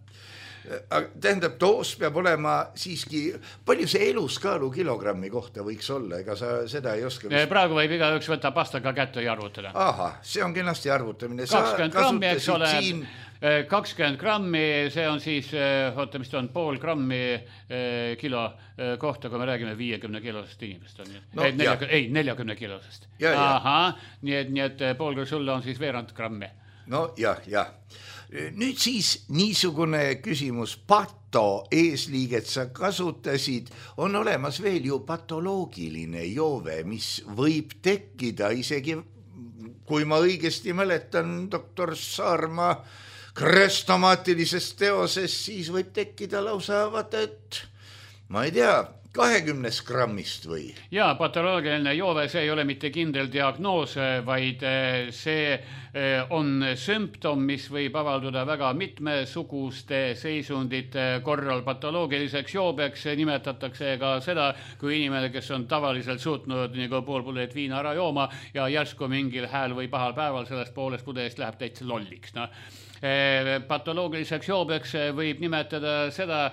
Tähendab, doos peab olema siiski, palju see eluskaalu kilogrammi kohta võiks olla, ega sa seda ei oska vist... Praegu võib igaüks võtta pastaga kätte ja arvutada. Aha, see on kenasti arvutamine. kakskümmend grammi, eks ole, siin... kakskümmend grammi, see on siis, oota, mis ta on, pool grammi kilo kohta, kui me räägime viiekümne kilosest inimest. On, no, ei, neljakümne, ei, neljakümne kilosest. Ja, Aha, nii et, nii et pool kui sulle on siis veerand grammi. No jah, jah. Nüüd siis niisugune küsimus, pato eesliiget sa kasutasid, on olemas veel ju patoloogiline joove, mis võib tekkida isegi, kui ma õigesti mäletan doktor Saarma krestomaatilisest teoses, siis võib tekkida lausa, vaata, et ma ei tea, kahekümnes grammist või? Jaa, patoloogiline joove, see ei ole mitte kindel diagnoos, vaid see on sümptom, mis võib avalduda väga mitmesuguste seisundite korral. Patoloogiliseks joobeks nimetatakse ka seda, kui inimene, kes on tavaliselt suutnud nagu pool pudelit viina ära jooma ja järsku mingil hääl või pahal päeval sellest poolest pudelist läheb täitsa lolliks. No. Patoloogiliseks joobeks võib nimetada seda,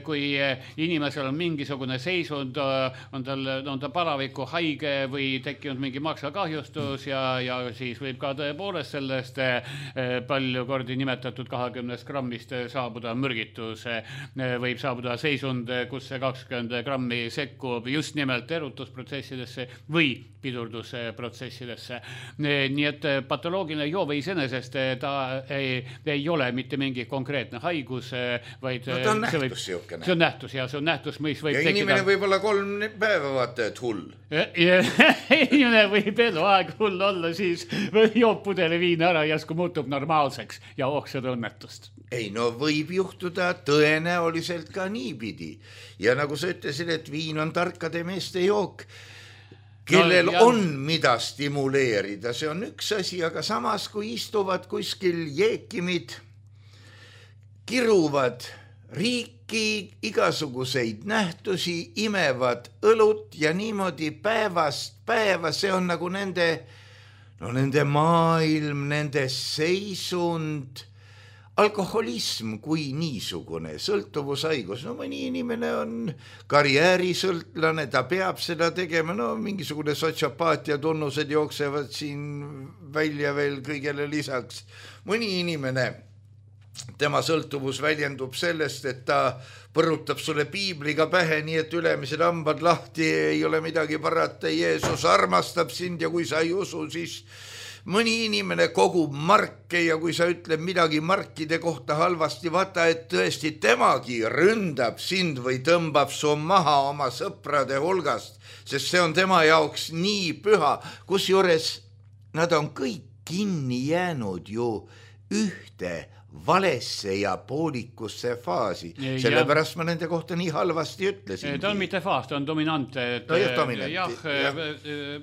kui inimesel on mingisugune seisund, on tal, on ta palaviku haige või tekkinud mingi maksakahjustus ja, ja siis võib ka tõepoolest sellest palju kordi nimetatud kahekümnest grammist saabuda mürgitus, võib saabuda seisund, kus see kakskümmend grammi sekkub just nimelt erutusprotsessidesse või pidurdusprotsessidesse. Nii et patoloogiline joove iseenesest ta ei ei ole mitte mingi konkreetne haigus, vaid no, ta on nähtus võib, siukene. See on nähtus ja see on nähtus, mis võib ja tekkida. Inimene võib olla kolm päeva vaata, et hull. Inimene võib eluaeg hull olla, siis joob pudeli viina ära, järsku muutub normaalseks ja oh seda õnnetust. ei no võib juhtuda tõenäoliselt ka niipidi. Ja nagu sa ütlesid, et viin on tarkade meeste jook, kellel no, on mida stimuleerida, see on üks asi, aga samas kui istuvad kuskil jeekimid, kiruvad riiki, igasuguseid nähtusi, imevad õlut ja niimoodi päevast päeva, see on nagu nende, no nende maailm, nende seisund, alkoholism kui niisugune, sõltuvushaigus, no mõni inimene on karjäärisõltlane, ta peab seda tegema, no mingisugune sotsiopaatia tunnused jooksevad siin välja veel kõigele lisaks. Mõni inimene, tema sõltuvus väljendub sellest, et ta põrutab sulle piibliga pähe, nii et ülemised hambad lahti, ei ole midagi parata, Jeesus armastab sind ja kui sa ei usu, siis mõni inimene kogub marke ja kui sa ütled midagi markide kohta halvasti, vaata, et tõesti temagi ründab sind või tõmbab su maha oma sõprade hulgast, sest see on tema jaoks nii püha, kusjuures nad on kõik kinni jäänud ju ühte valesse ja poolikusse faasi. Sellepärast ma nende kohta nii halvasti ütlesin. Ta on mitte faas, ta on dominant. No jah, dominant. Jah,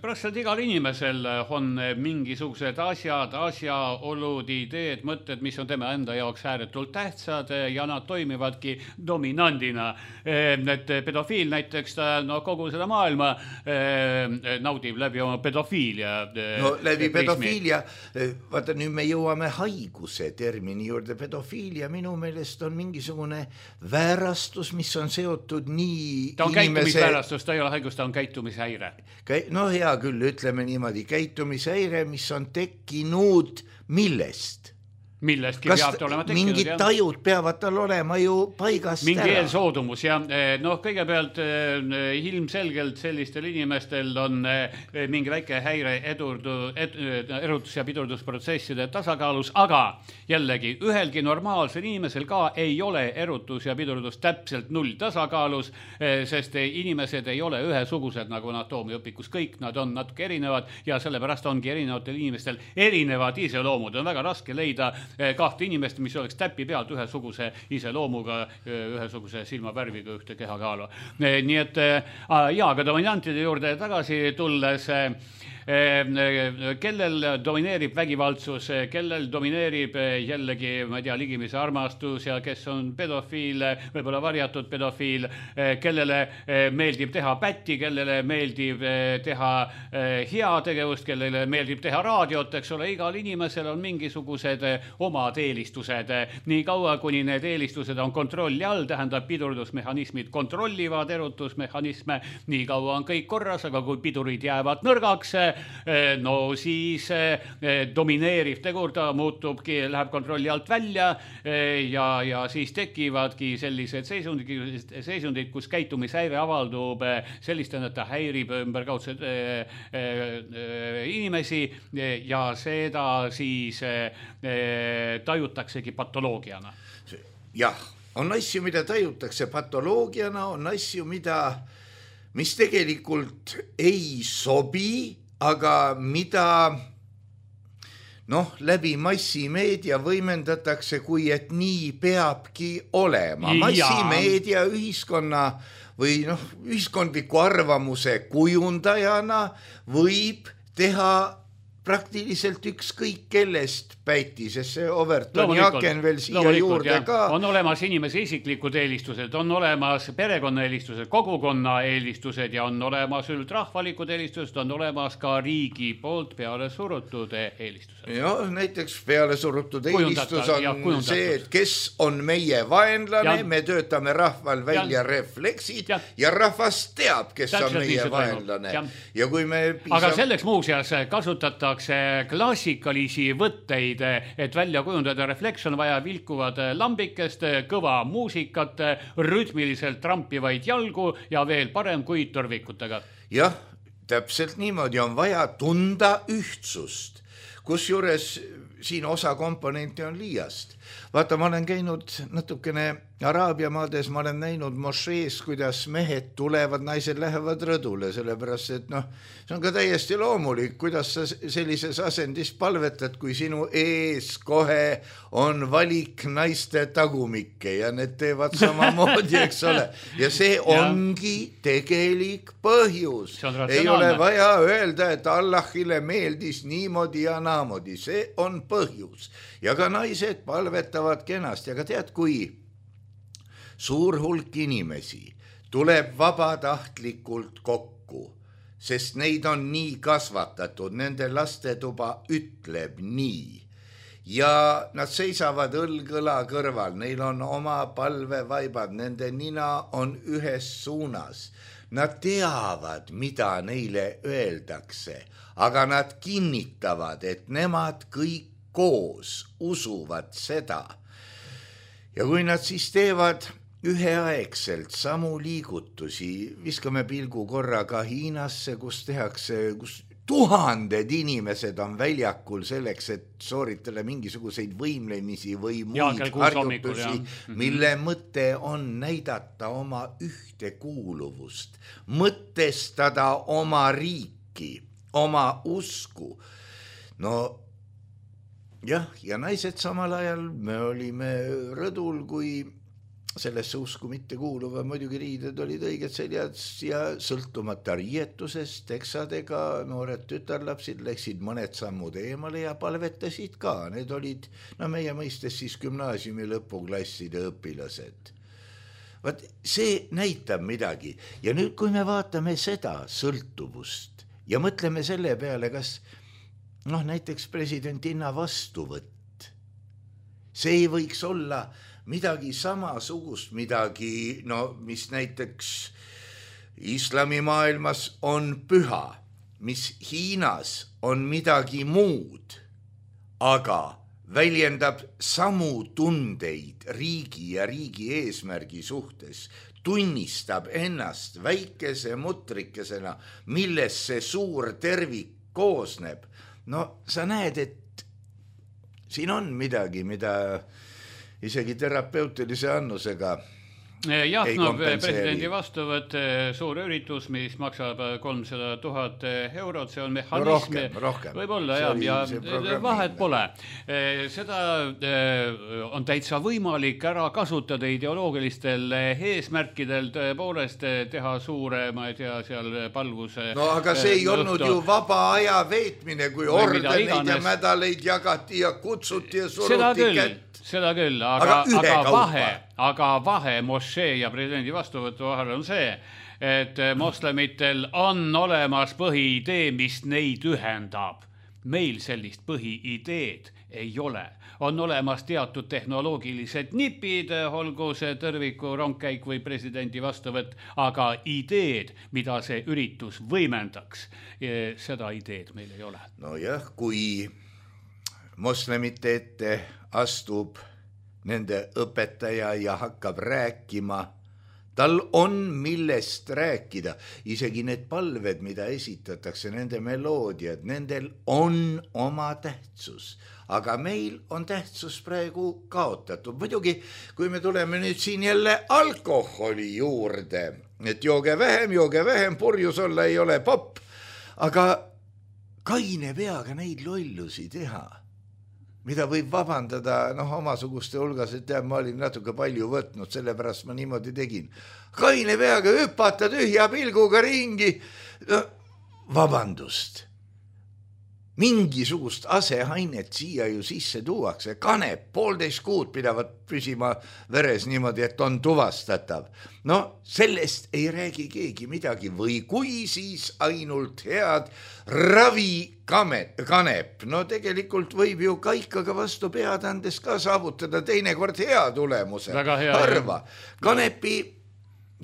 praktiliselt igal inimesel on mingisugused asjad, asjaolud, ideed, mõtted, mis on tema enda jaoks ääretult tähtsad ja nad toimivadki dominandina. Et pedofiil näiteks ta no, kogu seda maailma naudib läbi oma pedofiilia. No läbi pedofiilia, vaata nüüd me jõuame haiguse termini juurde. Pedofiilia minu meelest on mingisugune väärastus, mis on seotud nii ta on inimese... käitumisväärastus, ta ei ole haigus, ta on käitumishäire. No hea küll, ütleme niimoodi, käitumishäire, mis on tekkinud millest? Millestki kas peab olema tekkinud. Mingid tajud peavad tal olema ju paigast mingi ära. eelsoodumus ja noh, kõigepealt ilmselgelt sellistel inimestel on mingi väike häire edurdu, ed, erutus- ja pidurdusprotsesside tasakaalus, aga jällegi ühelgi normaalsel inimesel ka ei ole erutus ja pidurdus täpselt null tasakaalus, sest inimesed ei ole ühesugused nagu anatoomiaõpikus, kõik nad on natuke erinevad ja sellepärast ongi erinevatel inimestel erinevad iseloomud, on väga raske leida kahte inimest, mis oleks täpi pealt ühesuguse iseloomuga, ühesuguse silmavärviga ühte kehakaalu. Nii et jaa, aga dominantide juurde tagasi tulles, kellel domineerib vägivaldsus, kellel domineerib jällegi, ma ei tea, ligimise armastus ja kes on pedofiil, võib-olla varjatud pedofiil, kellele meeldib teha pätti, kellele meeldib teha heategevust, kellele meeldib teha raadiot, eks ole, igal inimesel on mingisugused omad eelistused. Nii kaua, kuni need eelistused on kontrolli all, tähendab pidurdusmehhanismid kontrollivad erutusmehhanisme, nii kaua on kõik korras, aga kui pidurid jäävad nõrgaks, no siis domineeriv tegur, ta muutubki, läheb kontrolli alt välja ja, ja siis tekivadki sellised seisundid, seisundid, kus käitumishäire avaldub sellistena, et ta häirib ümberkaudseid inimesi ja seda siis tajutaksegi patoloogiana. Jah, on asju, mida tajutakse patoloogiana, on asju, mida, mis tegelikult ei sobi, aga mida noh, läbi massimeedia võimendatakse, kui et nii peabki olema. Massimeedia ühiskonna või noh, ühiskondliku arvamuse kujundajana võib teha praktiliselt ükskõik kellest päiti, sest see Overtoni aken veel siia juurde jah. ka. On olemas inimese isiklikud eelistused, on olemas perekonna eelistused, kogukonna eelistused ja on olemas üldrahvalikud eelistused, on olemas ka riigi poolt peale surutud eelistused. Ja, näiteks peale surutud eelistus on ja, see, et kes on meie vaenlane, ja. Me töötame rahval välja ja. Refleksid ja. Ja rahvas teab, kes täpselt on meie vaenlane. Ja. Ja kui me piisab... Aga selleks muuseas kasutatakse klassikalisi võtteid, et välja kujundada refleks, on vaja vilkuvad lambikest, kõva muusikat, rütmiliselt trampivaid jalgu ja veel parem kui torvikutega. Jah, täpselt niimoodi on vaja tunda ühtsust. kus juures siin osa komponente on liiast. Vaata, ma olen käinud natukene Araabia maades, ma olen näinud mošees, kuidas mehed tulevad, naised lähevad rõdule, sellepärast, et noh, see on ka täiesti loomulik, kuidas sa sellises asendis palvetad, kui sinu ees kohe on valik naiste tagumikke ja need teevad samamoodi, eks ole. Ja see ongi tegelik põhjus. Ei ole vaja öelda, et Allahile meeldis niimoodi ja naamodi. See on põhjus. Ja ka naised palvetavad kenasti, aga tead, kui suur hulk inimesi tuleb vabatahtlikult kokku, sest neid on nii kasvatatud, nende lastetuba ütleb nii. Ja nad seisavad õlgõla kõrval, neil on oma palvevaibad, nende nina on ühes suunas. Nad teavad, mida neile öeldakse, aga nad kinnitavad, et nemad kõik koos usuvad seda. Ja kui nad siis teevad üheaegselt samu liigutusi, viskame pilgu korraga Hiinasse, kus tehakse, kus tuhanded inimesed on väljakul selleks, et sooritada mingisuguseid võimlemisi või muid harjutusi, mille mõte on näidata oma ühtekuuluvust, mõtestada oma riiki, oma usku. No jah, ja naised samal ajal me olime rõdul, kui sellesse usku mitte kuuluva, muidugi riided olid õiged seljad ja sõltumata riietusest, teksadega noored tütarlapsid läksid mõned sammud eemale ja palvetasid ka. Need olid, no meie mõistes siis gümnaasiumi lõpuklasside õpilased. Vaat see näitab midagi. Ja nüüd, kui me vaatame seda sõltuvust ja mõtleme selle peale, kas noh, näiteks presidentinna vastuvõtt, see ei võiks olla midagi samasugust, midagi, no mis näiteks islamimaailmas on püha, mis Hiinas on midagi muud, aga väljendab samu tundeid riigi ja riigi eesmärgi suhtes, tunnistab ennast väikese mutrikesena, millest see suur tervik koosneb. No sa näed, et siin on midagi, mida isegi terapeutilise annusega jah, no presidendi vastuvõtt, suur üritus, mis maksab kolmsada tuhat eurot, see on mehhanism. No rohkem, rohkem. Võib-olla jah, ja vahet pole. Seda on täitsa võimalik ära kasutada ideoloogilistel eesmärkidel, tõepoolest teha suure, ma ei tea, seal palvuse. No aga see ei olnud ju vaba aja veetmine, kui ordeneid ja mädaleid jagati ja kutsuti ja suruti kätt. Seda küll, aga, aga, aga vahe, aga vahe mošee ja presidendi vastuvõtu vahel on see, et moslemitel on olemas põhiidee, mis neid ühendab. Meil sellist põhiideed ei ole. On olemas teatud tehnoloogilised nipid, olgu see tõrviku rongkäik või presidendi vastuvõtt, aga ideed, mida see üritus võimendaks, seda ideed meil ei ole. No jah, kui moslemite ette astub nende õpetaja ja hakkab rääkima, tal on millest rääkida. Isegi need palved, mida esitatakse, nende meloodiad, nendel on oma tähtsus. Aga meil on tähtsus praegu kaotatud. Muidugi, kui me tuleme nüüd siin jälle alkoholi juurde, et jooge vähem, jooge vähem, purjus olla ei ole popp, aga kaine peaga neid lollusi teha, mida võib vabandada noh, omasuguste hulgas, et tead, ma olin natuke palju võtnud, sellepärast ma niimoodi tegin. Kaine peaga hüpata tühja pilguga ringi. No, vabandust. Mingisugust asehainet siia ju sisse tuuakse. Kanep, poolteist kuud pidavad püsima veres niimoodi, et on tuvastatav. No sellest ei räägi keegi midagi või kui siis ainult head ravikanep. No tegelikult võib ju kaikaga vastu pead andes ka saavutada teinekord hea tulemuse. Hea, harva. Kanepi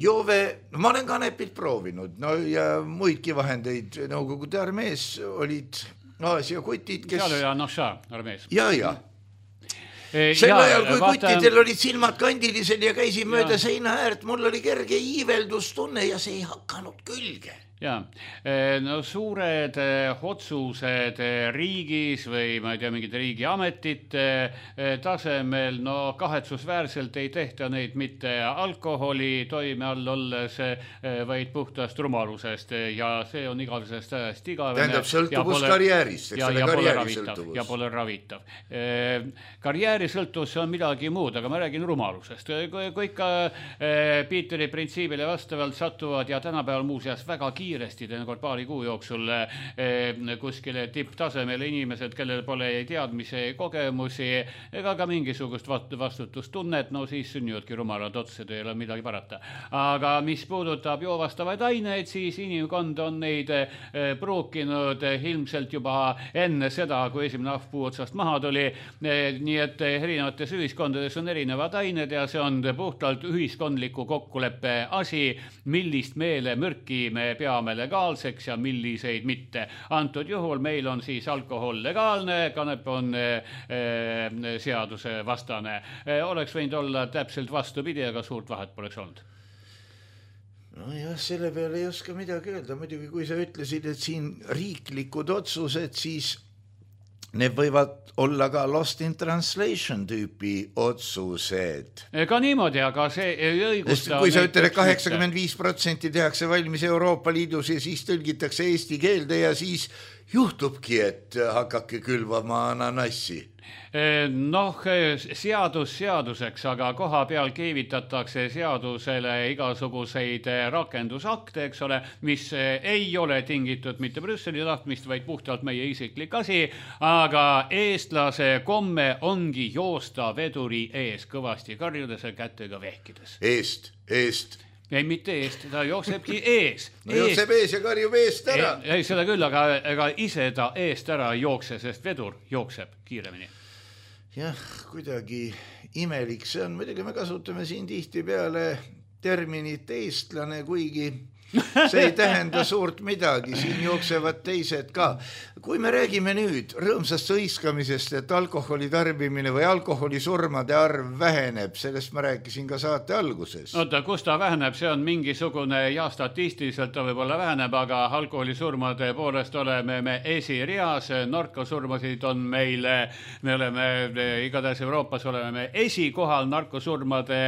joove, no ma olen kanepit proovinud, no ja muidki vahendeid. Nõukogude armees olid Aasia kutid, kes... Seal oli Anoša armees. Ja, ja. Sel ajal, kui vaata... kuttidel olid silmad kandilised ja käisid mööda seina äärt, mul oli kerge iiveldustunne ja see ei hakanud külge. ja, no suured otsused riigis või ma ei tea, mingite riigiametite tasemel, no kahetsusväärselt ei tehta neid mitte alkoholi toime all olles, vaid puhtast rumalusest ja see on igavesest ajast igavene. Tähendab sõltuvus karjäärist, eks ole, karjääri sõltuvus. Ja pole ravitav. Karjääri sõltuvus on midagi muud, aga ma räägin rumalusest. Kui ikka Piiteri printsiibile vastavalt satuvad ja tänapäeval muuseas väga kiiresti, teinekord paari kuu jooksul kuskile tipptasemele inimesed, kellel pole teadmise kogemusi ega ka mingisugust vastutustunnet, no siis sünnivadki rumalad otsused, ei ole midagi parata. Aga mis puudutab joovastavaid aineid, siis inimkond on neid pruukinud ilmselt juba enne seda, kui esimene ahvpuu otsast maha tuli. Nii et erinevates ühiskondades on erinevad ained ja see on puhtalt ühiskondliku kokkuleppe asi, millist meele mürki me peame legaalseks ja milliseid mitte. Antud juhul meil on siis alkohol legaalne, kanep on seaduse vastane. Oleks võinud olla täpselt vastupidi, aga suurt vahet poleks olnud. No jah, selle peale ei oska midagi öelda. Muidugi, kui sa ütlesid, et siin riiklikud otsused, siis need võivad olla ka lost in translation tüüpi otsused. Ka niimoodi, aga see ei õigusta... Kui sa ütled, et kaheksakümmend viis protsenti tehakse valmis Euroopa Liidus ja siis tõlgitakse eesti keelde ja siis juhtubki, et hakake külvama ananassi. Noh, seadus seaduseks, aga koha peal keevitatakse seadusele igasuguseid rakendusakte, eks ole, mis ei ole tingitud mitte Brüsseli tahtmist, vaid puhtalt meie isiklik asi, aga eestlase komme ongi joosta veduri ees kõvasti karjudes ja kätega vehkides. Eest, eest. Ei, mitte eest, ta jooksebki ees. No jookseb ees ja karjub eest ära. Ei, ei seda küll, aga, aga ise ta eest ära jookse, sest vedur jookseb kiiremini. Jah, kuidagi imelik see on. Muidugi me kasutame siin tihti peale terminit eestlane, kuigi see ei tähenda suurt midagi, siin jooksevad teised ka. Kui me räägime nüüd rõõmsast hõiskamisest, et alkoholi tarbimine või alkoholisurmade arv väheneb, sellest ma rääkisin ka saate alguses. Oota, kus ta väheneb, see on mingisugune, ja statistiliselt ta võib-olla väheneb, aga alkoholisurmade poolest oleme me esireas, narkosurmasid on meil, me oleme igatahes Euroopas oleme me esikohal narkosurmade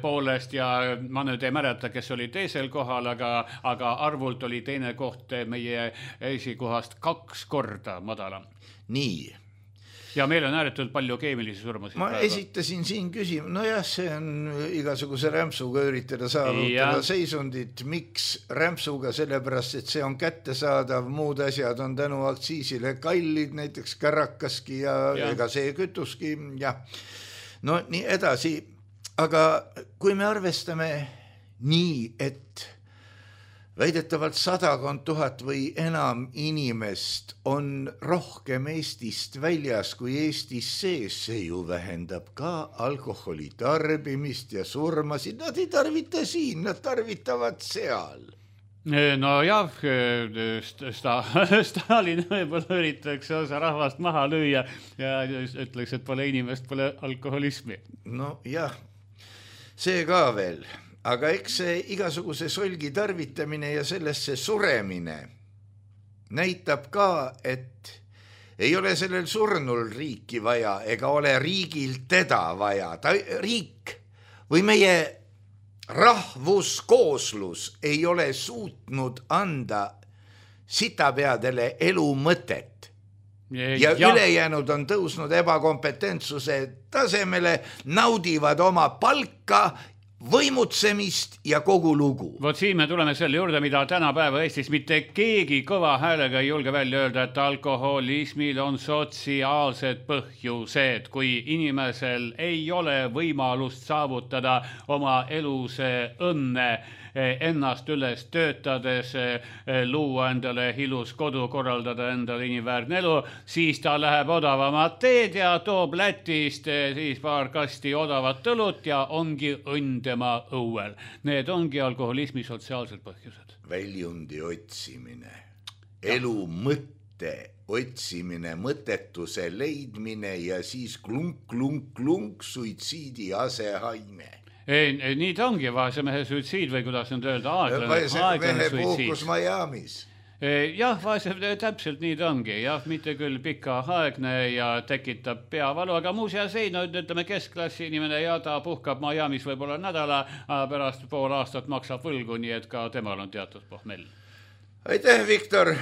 poolest ja ma nüüd ei mäleta, kes oli teisel kohal, aga aga arvult oli teine koht meie esikohast kaks korda madalam. Nii. Ja meil on ääretult palju keemilisi surmasid. Ma praegu esitasin siin küsima, no jah, see on igasuguse rämpsuga üritada saavutada seisundit. Miks rämpsuga? Sellepärast, et see on kättesaadav, muud asjad on tänu aktsiisile kallid, näiteks kärakaski ja, ja ega see kütuski. Ja. No nii edasi, aga kui me arvestame nii, et väidetavalt sadakond tuhat või enam inimest on rohkem Eestist väljas kui Eestis sees, see ju vähendab ka alkoholi tarbimist ja surmasid. Nad ei tarvita siin, nad tarvitavad seal. No jah, Stalin võib-olla üritaks osa rahvast maha lüüa ja ütleks, et pole inimest, pole alkoholismi. No jah, see ka veel. Aga eks see igasuguse solgi tarvitamine ja sellesse suremine näitab ka, et ei ole sellel surnul riiki vaja ega ole riigil teda vaja. Ta, riik või meie rahvuskooslus ei ole suutnud anda sitapeadele elu mõtet. Ja, ja ülejäänud on tõusnud ebakompetentsuse tasemele, naudivad oma palka, võimutsemist ja kogu lugu. Vot siin me tuleme selle juurde, mida tänapäeva Eestis mitte keegi kõva häälega ei julge välja öelda, et alkoholismil on sotsiaalsed põhjused. Kui inimesel ei ole võimalust saavutada oma elus õnne, ennast üles töötades, luua endale ilus kodu, korraldada endale inimväärne elu, siis ta läheb odavamat teed ja toob Lätist siis paar kasti odavat õlut ja ongi õnn tema õuel. Need ongi alkoholismi sotsiaalsed põhjused. Väljundi otsimine, elu mõtte otsimine, mõttetuse leidmine ja siis klunk, klunk, klunk, suitsiidi asehaime. ei, ei, nii ta ongi vaese mehe suitsiid või kuidas nüüd öelda, aeglane, vaese aeglane mehe suitsiid. puhkus Miamis. Jah, vaese, täpselt nii ta ongi, jah, mitte küll pika aegne ja tekitab peavalu, aga muuseas ei, no ütleme keskklassi inimene ja ta puhkab Miamis võib-olla nädala, pärast pool aastat maksab võlgu, nii et ka temal on teatud pohmell. Aitäh, Viktor!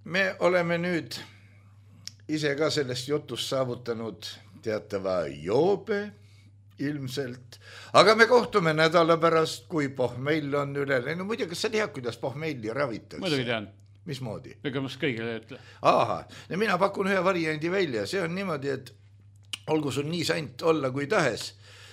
Me oleme nüüd ise ka sellest jutust saavutanud teatava joobe ilmselt, aga me kohtume nädala pärast, kui pohmell on üle. No muidu, kas sa tead, kuidas pohmelli ravitakse? Muidugi tean. Mismoodi? Ega ma kõigile ütle. Aha, ja mina pakun ühe variandi välja. See on niimoodi, et olgu sul nii sant olla kui tahes,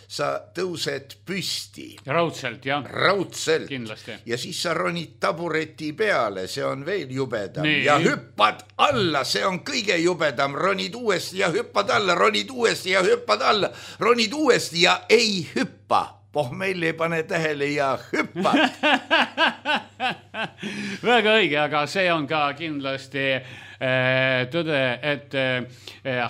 sa tõused püsti. Raudselt, jah. Raudselt. Kindlasti. Ja siis sa ronid tabureti peale, see on veel jubedam. Nii. Ja hüppad alla, see on kõige jubedam. Ronid uuesti ja hüppad alla, ronid uuesti ja hüppad alla, ronid uuesti ja ei hüppa. Pohmell ei pane tähele ja hüppad. Väga õige, aga see on ka kindlasti tõde, et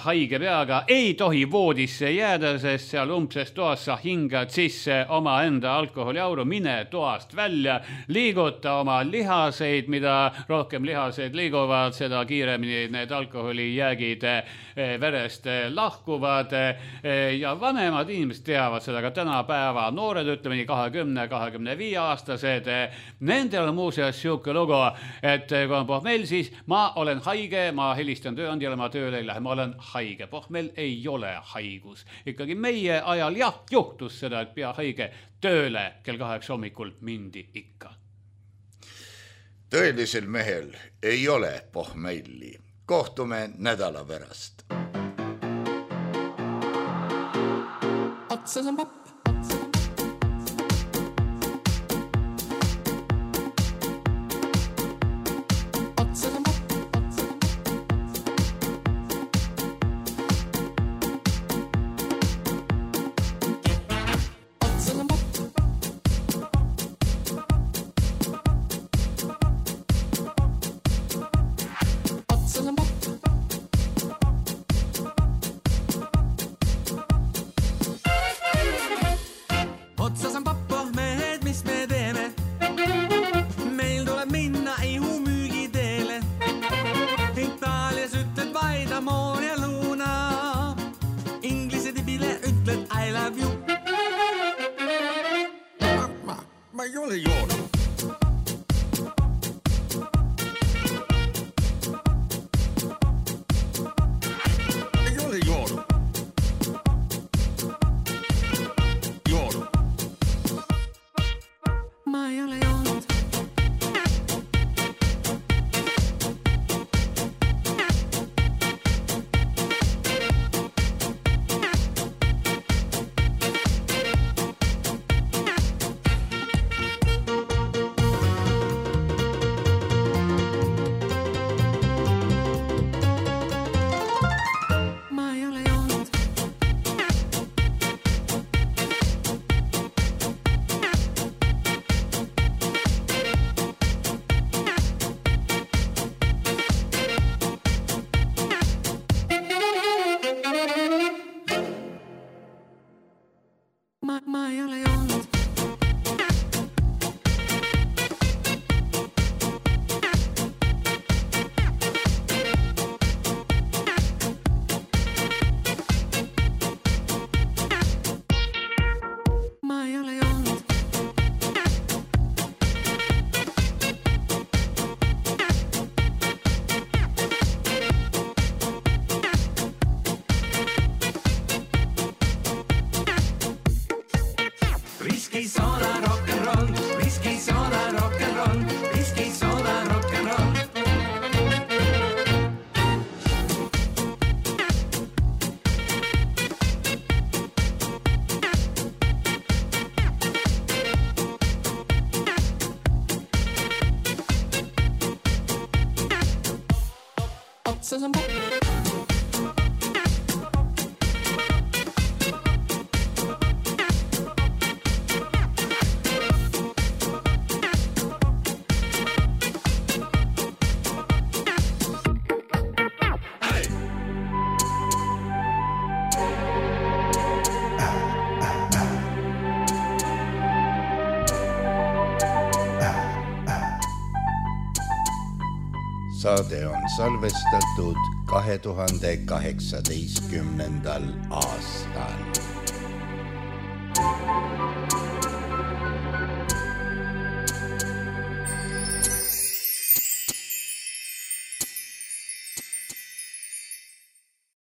haige peaga ei tohi voodisse jääda, sest seal umbses toas sa hingad sisse oma enda alkoholiauru, mine toast välja, liiguta oma lihaseid, mida rohkem lihaseid liiguvad, seda kiiremini need alkoholijäägid verest lahkuvad ja vanemad inimesed teavad seda, ka tänapäeva noored, ütleme nii kahekümne kahekümne viie aastased, nendel on muuseas siuke lugu, et kui on pohmell, siis ma olen haige, ma helistan tööandjale, ma tööle ei lähe, ma olen haige. Pohmell ei ole haigus. Ikkagi meie ajal jah, juhtus seda, et pea haige tööle kell kaheksa hommikul mindi ikka. Tõelisel mehel ei ole pohmelli. Kohtume nädala pärast. Otsas on papp. saade on salvestatud kahe tuhande kaheksateistkümnendal aastal.